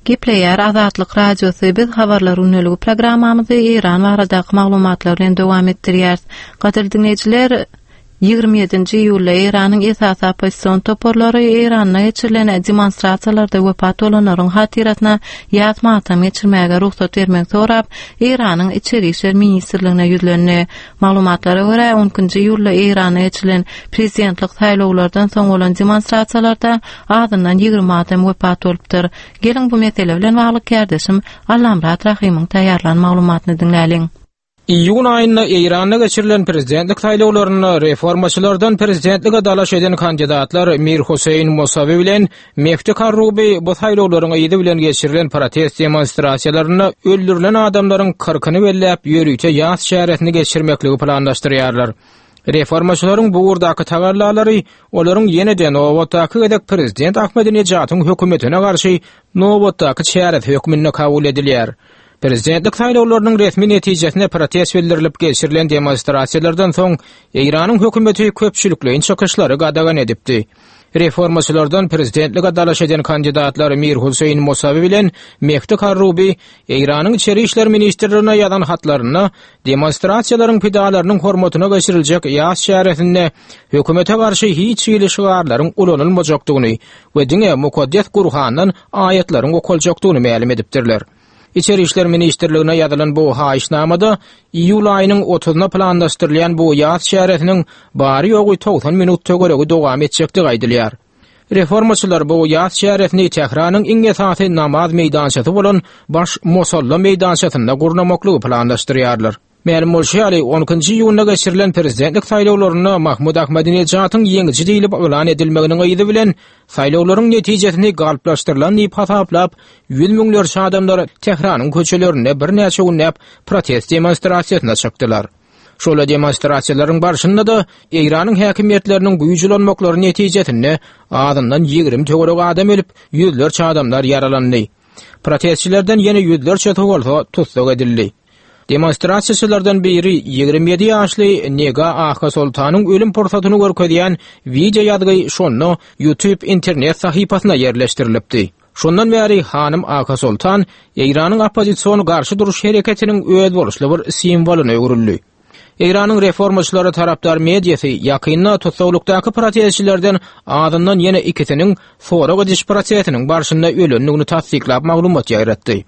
S1: Gepleýär Azatlyk Radiosy biz habarlar gündeligi programmamyzy Eýran baradaky maglumatlar bilen dowam etdirýäris. Gadyrly diňleýjiler, ýigrimi ýedinji iýulda Eýranyň esasy oppozision toparlary Eýranda geçirilen demonstrasiýalarda wepat bolanlaryň hatyrasyna ýas matam geçirmäge rugsat bermegi sorap, Eýranyň Içeri işler ministrligine ýüzlendi. Maglumatlara görä, on ikinji iýulda Eýranda geçirilen prezidentlik saýlawlardan soň bolan demonstrasiýalarda azyndan ýigrimi adam wepat bolupdyr. Geliň bu mesele bilen bagly kärdeşim Allamyrat Rahymyň taýýarlan maglumatyny diňläliň.
S22: Iýun aýynda Eýranda geçirilen prezidentlik saýlawlarynda reformaçylardan prezidentlige dalaş eden kandidatlar Mir Hüseýin Musawi bilen Mehdi Karrubi bu saýlawlaryň yzy bilen geçirilen protest demonstrasiýalarynda öldürilen adamlaryň kyrkyny belläp ýörite ýas çäresini geçirmekligi planlaşdyrýarlar. Reformaçylaryň bu ugurdaky tagallalary olaryň ýene-de nobatdaky gezek prezident Ahmedinejadyň hökümetine garşy nobatdaky çäresi hökmünde kabul edilýär. Prezidentlik saýlawlarynyň resmi netijesine protest bildirilip geçirilen demonstrasiýalardan soň Eýranyň hökümeti köpçülikleýin çykyşlary gadagan edipdi. Reformaçylardan prezidentlige dalaş eden kandidatlar Mir Hüseýin Musawi bilen Mehdi Karrubi Eýranyň Içeri işler ministrligine ýazan hatlarynda demonstrasiýalaryň pidalarynyň hormatyna geçiriljek ýas çäresinde hökümete garşy hiç hili şygarlaryň ulanylmajakdygyny we diňe mukaddes Gurhandan aýatlaryň okaljakdygyny mälim edipdirler. Içeri işler ministrligine ýazylan bu haýyşnamada iýul aýynyň otuzyna planlaşdyrylýan bu ýas çäresiniň bary ýogy togsan minut töweregi dowam etjekdigi aýdylýar. Reformaçylar bu ýas çäresini Tähranyň iň esasy namaz meýdançasy bolan Baş Mosalla meýdançasynda gurnamaklygy planlaşdyrýarlar. Mälim bolşy ýaly, on ikinji iýunda geçirilen prezidentlik saýlawlarynda Mahmud Ahmedinejadyň ýeňiji diýlip yglan edilmeginiň yzy bilen saýlawlaryň netijesini galplaşdyrylan diýip hasaplap, ýüz müňlerçe adamlar Tähranyň köçelerinde birnäçe günläp protest demonstrasiýasyna çykdylar. Şola demonstrasiýalaryň barşynda da Eýranyň häkimiýetleriniň güýç ulanmaklary netijesinde azyndan ýigrimi töwerek adam ölüp, ýüzlerçe adamlar ýaralandy. Protestçilerden ýene ýüzlerçesi bolsa tussag edildi. Demonstrasiýaçylardan biri ýigrimi ýedi ýaşly Nega Aha Sultanyň ölüm pursatyny görkezýän wideo ýazgy şonda YouTube internet sahypasyna ýerleşdirilipdi. Şondan bäri hanym Aha Sultan Eýranyň oppozision garşy duruş hereketiniň özboluşly bir simwolyna öwrüldi. Eýranyň reformaçylary tarapdar mediasy ýakynda tussaglykdaky protestçilerden azyndan ýene ikisiniň sorag ediş prosesiniň barşynda ölendigini tassyklap maglumat ýaýratdy.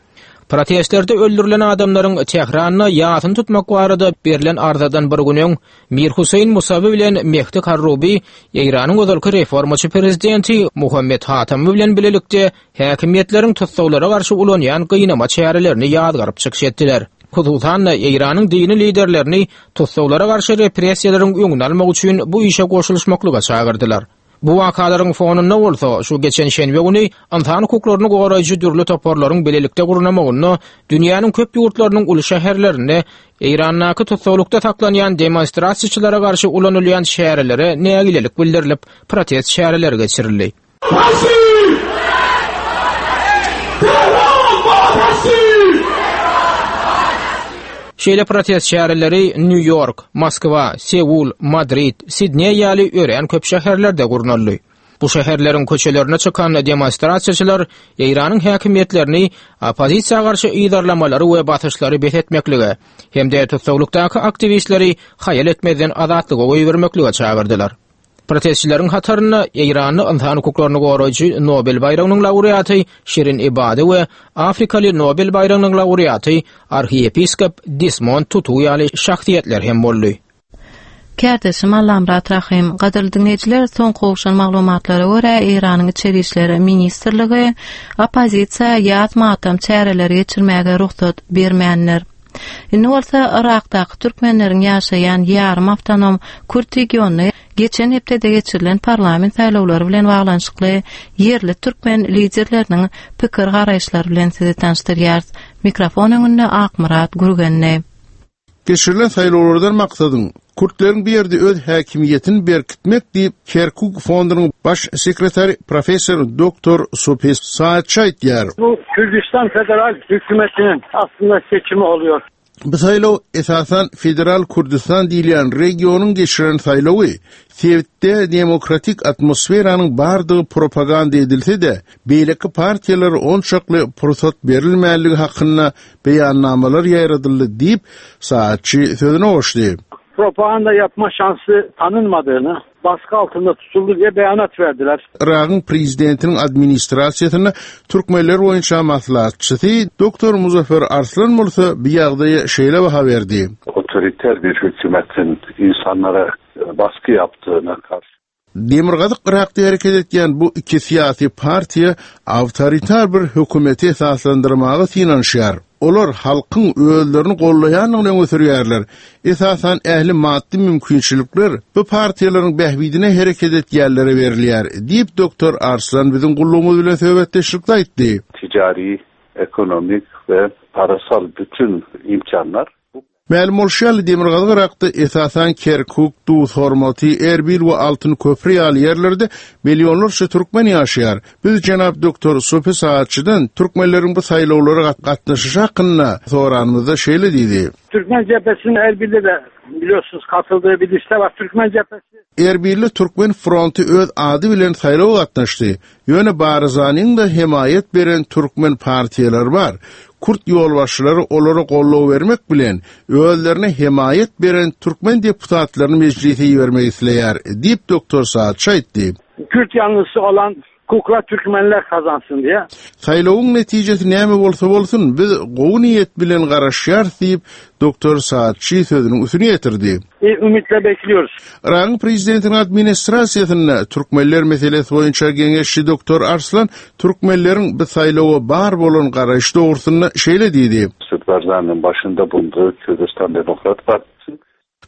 S22: Protestlerde öldürilen adamlaryň Tähranda ýasyny tutmak barada berlen arzadan bir gün öň Mir Hüseýin Musawi bilen Mehdi Karrubi Eýranyň ozalky reformaçy prezidenti Muhammed Hatami bilen bilelikde häkimiýetleriň tussaglara garşy ulanýan gynama çärelerini ýazgaryp çykyş etdiler. Hususan Eýranyň dini liderlerini tussaglara garşy repressiýalaryň öňüni almak üçin bu işe goşulyşmaklyga çagyrdylar. Bu wakalaryň fonunda bolsa şu geçen şenbe güni ynsan hukuklaryny goraýjy dürli toparlaryň bilelikde gurnamagynda dünýäniň köp ýurtlarynyň uly şäherlerinde Eýrandaky tussaglykda saklanýan demonstrasiýaçylara garşy ulanylýan çärelere nägilelik bildirilip protest çäreleri geçirildi. Şeýle protest çäreleri New York, Moskwa, Seul, Madrid, Sidney ýaly örän köp şäherlerde gurnaldy. Bu şäherleriň köçelerine çykan demonstrasiýaçylar Eýranyň häkimiýetlerini oppozisiýa garşy yzarlamalary we basyşlary bes etmeklige hem-de tussaglykdaky aktiwistleri haýal etmezden azatlyga goýbermeklige çagyrdylar. Protestçileriň hatarynda Eýranly ynsan hukuklaryny goraýjy Nobel baýragynyň laureaty Şirin Ebadi we Afrikaly Nobel baýragynyň laureaty arhiýepiskop Desmond Tutu ýaly şahsyýetler hem boldy.
S1: Kärdeşim Allamrat Rahim, gadyrly diňleýjiler, soňky gowşan maglumatlara görä Eýranyň Içeri işler ministrligi oppozisiýa ýaz matam çäreleri geçirmäge rugsat bermändir. Indi bolsa Irakdaky türkmenleriň ýaşaýan ýarym awtonom Kürt regionyny geçen hepdede geçirilen parlament saýlawlary bilen baglanyşykly ýerli türkmen liderleriniň pikir garaýyşlary bilen sizi tanyşdyrýarys. Mikrofon öňünde Akmyrat Gürgenli.
S20: Geçirilen saýlawlardan maksadyň Kürtleriň bir ýerde öz häkimiýetini berkitmek diýip Kerkuk fondunyň baş sekretary professor doktor Sopi Saatçy aýtýar.
S6: Bu Kürdistan Federal Hükümeti'nin aslında seçimi oluyor.
S20: Bu saýlaw esasan Federal Kürdistan diýilýän regionyň geçiren saýlawy sebitde demokratik atmosferanyň bardygy propaganda edilse-de, beýleki partiýalar onçakly pursat berilmänligi hakynda beýannamalar ýaýradyldy diýip Saatçy sözüne goşdy.
S6: Propaganda yapma şansı tanınmadığını, baskı altında tutuldu diye beyanat verdiler.
S20: Irak'ın prezidentinin administrasiýasynda türkmenler boýunça maslahatçysy Doktor Muzaffer Arslan bolsa bir ýagdaýa şeýle baha berdi.
S10: Otoriter bir hükümetin insanlara baskı yaptığına karşı
S20: Demirgazyk Irakda hereket etýän bu iki syýasy partiýa awtoritar bir hökümeti esaslandyrmaga synanyşýar. Olar halkyň özlerini gollaýandygyny öňe sürýärler. Esasan ähli maddy mümkinçilikler bu partiýalaryň bähbidine hereket etýänlere berilýär, diýip Doktor Arslan biziň gullugymyz bilen söhbetdeşlikde aýtdy.
S10: Ticari, ekonomik we parasal bütün imkanlar
S20: Mälim bolşy ýaly Demirgazyk Irakda esasan Kerkuk, Duz Hormaty, Erbil we Altyn Köprü ýaly ýerlerde millionlarça türkmen ýaşaýar. Biz jenap Doktor Sopi Saatçydan türkmenleriň bu saýlawlara gatnaşyşy hakynda soranymyzda şeýle diýdi.
S6: Türkmen cephesinin Erbil'de de biliyorsunuz katıldığı bir liste var. Türkmen cephesi
S20: Erbilli Türkmen fronty öz ady bilen saýlawa gatnaşdy. Ýöne Barzanyň da hemaýat beren türkmen partiýalary bar. Kürt ýolbaşçylary olara goldaw bermek bilen özlerine hemaýat beren türkmen deputatlaryny meclise ibermek isleýär, diýip Doktor Saatçy aýtdy.
S6: Kürt yanlısı olan kukla Türkmenler kazansın diye.
S20: Saýlawyň netijesi näme bolsa bolsun, biz gowy niýet bilen garaşýarys diýip Doktor Saatçy sözüniň üstüne ýetirdi.
S6: E, ümitle bekliyoruz.
S20: Irak'ın prezidentinin administrasiýasynda türkmenler meselesi boýunça geňeşçi Doktor Arslan türkmenleriň bu saýlawa bar bolan garaýyş dogrusynda şeýle diýdi.
S10: Mesut Barzani'nin başında bulunduğu Kürdistan Demokrat Partisi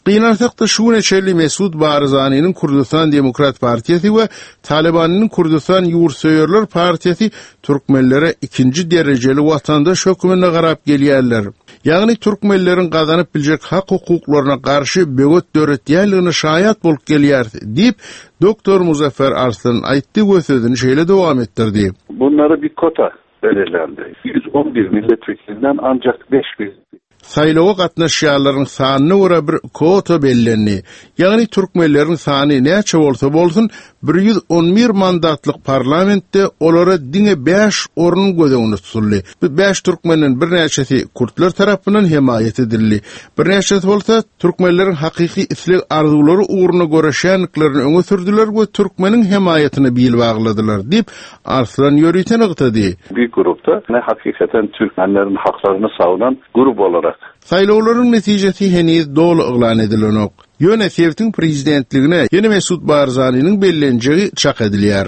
S20: Gynansak-da şu güne çenli Mesut Barzani'nin Kürdistan Demokrat Partiyası we Talibanyň Kürdistan Ýurtsöýerler Partiyası türkmenlere ikinji derejeli watandaş hökmünde garap gelýärler. Ýagny türkmenleriň gazanyp biljek hak hukuklaryna garşy böwet döretýänligine şaýat bolup gelýär diýip Doktor Muzaffer Arslan aýtdy we sözüni şeýle dowam etdirdi.
S10: Bunlara bir kota belirlendi. yüz on bir milletvekilinden ancak beş bin.
S20: Saýlawa gatnaşýanlaryň sanyna görä bir kwota bellendi. Ýagny türkmenleriň sany näçe bolsa bolsun, bir ýüz on bir mandatlyk parlamentde olara diňe bäş orun göz öňünde tutuldy. Bu bäş türkmenden birnäçesi kürtler tarapyndan hemaýat edildi. Birnäçesi bolsa türkmenleriň hakyky isleg arzuwlary ugruna göreşýändiklerini öňe sürdüler we türkmeniň hemaýatyna bil bagladylar diýip Arslan ýörite nygtady.
S10: Bir grupda ne hakikaten Türkmenlerin haklaryny savunan grup olarak.
S20: Saýlawlaryň netijesi heniz doly yglan edilenok. Ýöne sebitiň prezidentligine ýene Mesut Barzaniniň bellenjegi çak edilýär.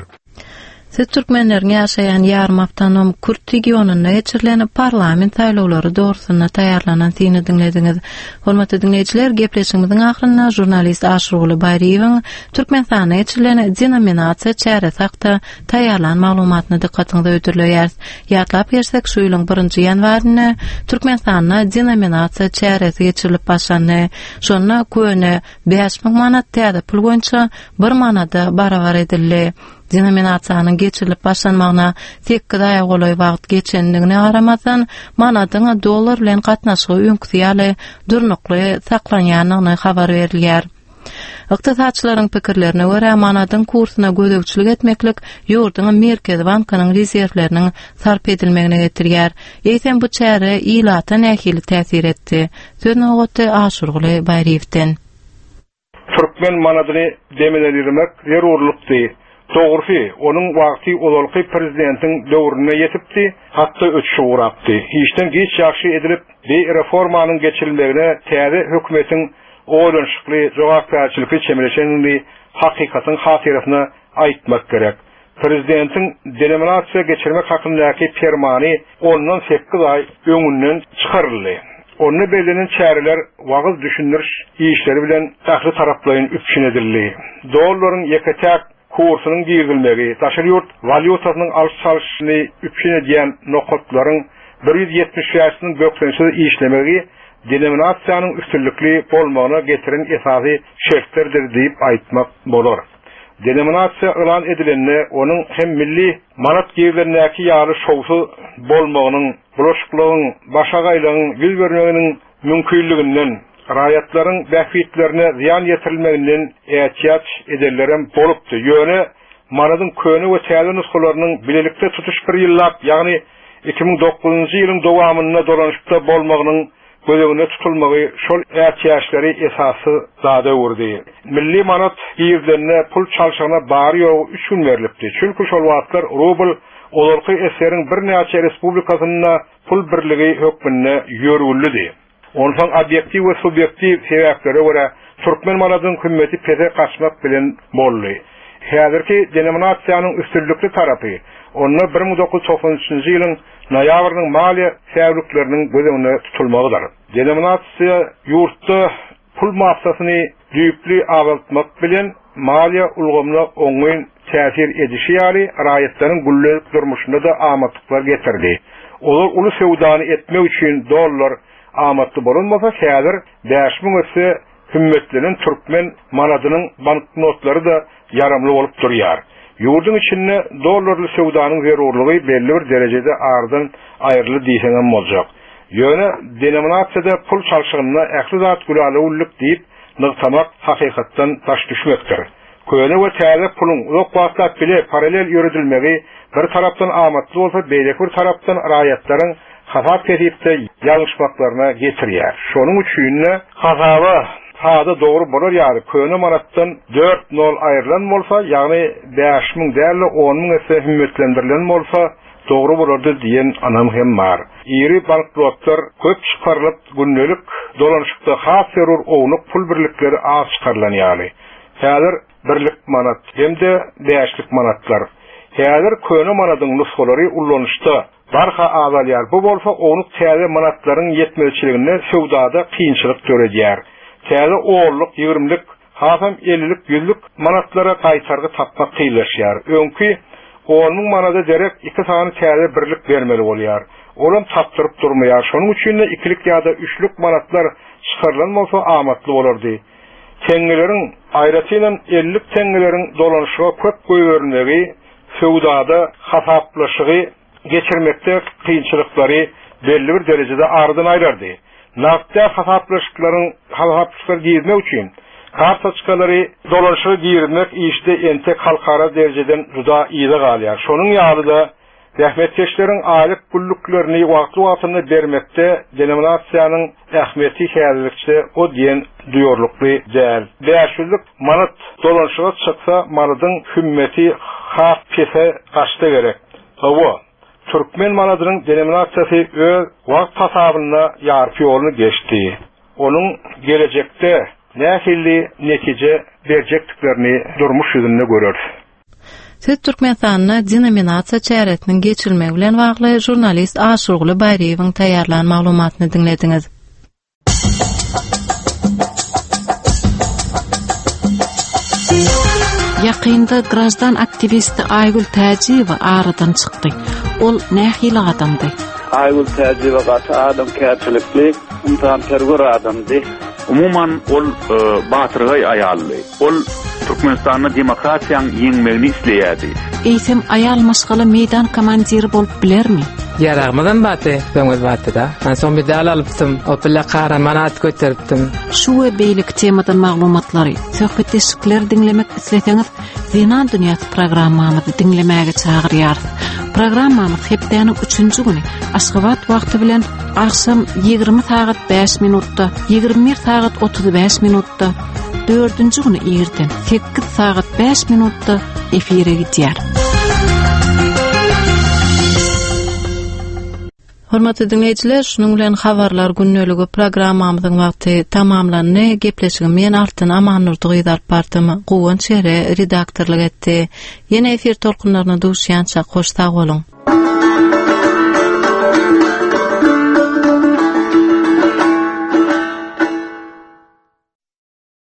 S1: Siz türkmenleriň ýaşaýan ýarym awtonom Kürt regionynda geçirilen parlament saýlawlary dogrusynda taýýarlanan syny diňlediňiz. Hormatly diňleýjiler, gepleşigimiziň ahyrynda žurnalist Aşyrguly Baýryýewiň Türkmenistanda geçirilen denominasiýa çäresi hakda taýýarlan maglumatyny dykgatyňyza hödürleýäris. Ýatlap geçsek, şu ýylyň birinji ýanwarynda Türkmenistanda denominasiýa çäresi geçirilip başlandy. Şonda köne bäş müň manat täze pul boýunça bir manada barabar edildi. Denominasiýanyň geçirilip başlanmagyna sekiz aýa golaý wagt geçendigine garamazdan, manadyň dollar bilen gatnaşygy öňküsi ýaly durnukly saklanýandygyny habar berilýär. Ykdysatçylaryň pikirlerine görä, manadyň kursuna gözegçilik etmeklik ýurduň Merkezi bankynyň rezerwleriniň sarp edilmegine getirýär. Eýsem bu çäre ilata nähili täsir etdi? Söz nobaty Aşyrguly Baýryýewden.
S19: Türkmen manadyny demelendirmek zerurlykdy. Dogrusy, onuň wagty ozalky prezidentiň döwrüne ýetipdi, hatda ötüşi ugrapdy. Işden geç ýagşy edilip, bir reformanyň geçirilmegine täze hökümetiň oýlanyşykly, jogapkärçilikli çemeleşenini hakykatyň hatyrasyna aýtmak gerek. Prezidentiň denominasiýa geçirmek hakyndaky permany ondan sekiz aý öňünden çykaryldy. Onda bellenen çäreler wagyz düşündiriş işleri bilen ähli taraplaýyn üpjün edildi. Dollaryň ýeke-täk kursunyň girizilmegi, daşary ýurt walýutasynyň alyş-çalşyny üpjün edýän nokatlaryň bir ýüz ýetmiş bäşiniň bökdençsiz işlemegi denominasiýanyň üstünlikli bolmagyna getiren esasy şertlerdir diýip aýtmak bolar. Denominasiýa yglan edilende onuň hem milli manat girizilendäki ýaly şowsuz bolmagynyň, bulaşyklygyň, başagaýlygyň ýüz bermeginiň mümkinliginden, raýatlaryň bähbitlerine zyýan ýetirilmeginden ätiýaç edenlerem bolupdy. Ýöne manadyň köne we täze nusgalarynyň bilelikde tutuş bir ýyllap, ýagny iki müň dokuzynjy ýylyň dowamynda dolanyşykda bolmagynyň göz öňünde tutulmagy şol ätiýaçlary esassyz zada öwürdi. Milli manat girizilende pul çalşygyna bary ýogy üç gün berilipdi. Çünki şol wagtlar rubl ozalky eseriň birnäçe respublikasynda pul birligi hökmünde ýörgünlidi. Onsoň obýektiw we subýektiw sebäplere görä türkmen manadynyň hümmeti pese gaçmak bilen boldy. Häzirki denominasiýanyň üstünlikli tarapy onda bir müň dokuz ýüz togsan üçünji ýylyň noýabrynyň maliýe säwlikleriniň göz öňünde tutulmagydyr. Denominasiýa ýurtda pul massasyny düýpli azaltmak bilen maliýe ulgamyna oňyn täsir edişi ýaly raýatlaryň gündelik durmuşynda da amatlyklar getirdi. Olar uly söwdany etmek üçin dollar amatly bolunmasa, häzir bäş müň esse hümmetlenen türkmen manadynyň banknotlary da ýaramly bolup durýar. Ýurduň içinde dollarly söwdanyň zerurlygy belli bir derejede aradan aýryly diýseňem boljak. Ýöne denominasiýada pul çalşygynda ähli zat gülalewlik diýip nygtamak hakykatdan daş düşmekdir. Köne we täze puluň uzak wagtlap bile paralel ýöredilmegi bir tarapdan amatly bolsa, beýleki bir tarapdan raýatlaryň hasap kesipde ýalňyşmaklaryna getirýär. Şonuň üçin-de hasaba sada dogry bolar ýaly köne manatdan dört nol aýrylan bolsa, ýagny bäş müň däl-de on müň esse hümmetlendirilen bolsa dogry bolardy diýen anam hem bar. Iri banknotlar köp çykarylyp, gündelik dolanyşykda has zerur ownuk pul birlikleri az çykarylan ýaly. Häzir birlik manat hem-de bäşlik manatlar. Häzir köne manadyň nusgalary ulanyşda barha azalýar. Bu bolsa ownuk täze manatlaryň ýetmezçiliginde söwdada kynçylyk döredýär. Täze onluk, ýigrimlik, hasam ellilik, ýüzlük manatlara gaýtargy tapmak kynlaşýar. Öňki on müň manada derek iki sany täze birlik bermeli bolýar. Olam tapdyryp durmaýar. Şonuň üçin-de ikilik ýa-da üçlük manatlar çykarylan bolsa amatly bolardy. Teňňeleriň, aýratynam ellilik teňňeleriň dolanyşyga köp goýberilmegi söwdada hasaplaşygy geçirmekde kynçylyklary belli bir derejede aradan aýrardy. Nagt däl hasaplaşyklaryň hasaplaşyklara girmek üçin kartoçkalary dolanşyga girizmek işde entek halkara derejeden juda yza galýar. Şonuň ýaly-da zähmetkeşleriň aýlyk günlüklerini wagtly-wagtynda bermekde denominasiýanyň ähmiýeti häzirlikçe o diýen duýarlykly däl. Bäş ýüzlük manat dolanşyga çyksa manadyň hümmeti has pese gaçsa gerek. Hawa, türkmen manadynyň denominasiýasy öz wagt hasabynda ýarpy ýoluny geçdi. Onuň gelejekde nähili netije berjekdiklerini durmuş ýüzünde göreris.
S1: Siz Türkmenistanda denominasiýa çäresiniň geçirilmegi bilen bagly žurnalist Aşurguly Baýryýewiň taýýarlan maglumatyny diňlediňiz.
S5: Ýakynda grajdan aktiwisti Aýgül Täjiýewa aradan çykdy. Ol nähili adamdy?
S10: Aýgül Täjiýewa gaty adamkärçilikli, ynsanperwer adamdy.
S11: Umuman ol batyrgaý aýaldy. Ol Türkmenistanda demokratiýanyň ýeňmegini isleýärdi.
S5: Eýsem aýal maşgala meýdan komandiri bolup bilermi?
S23: Ýaragymyzam bardy, öňüz bardy-da. Men soň medal alypdym, o bile kahraman at göteripdim.
S5: Şu we beýleki temadan maglumatlary, söhbetdeşlikleri diňlemek isleseňiz, Zenan Dünýäsi programmamyzy diňlemäge çagyrýarys. Programmamyz hepdäniň üçünji güni Aşgabat wagty bilen agşam ýigrimi sagat bäş minutda, ýigrimi bir sagat otuz bäş minutda, dördünji güni irden sekiz sagat bäş minutda efire gidýär.
S1: Hormatly dinleýjiler, şunuň bilen habarlar gündeligi programmamyzyň wagty tamamlandy. Gepleşigi men Altyn Amannurdy gyz alyp bardym. Guwanç Ere redaktorlyk etdi. Ýene efir tolkunlaryna duşýança hoş sag boluň.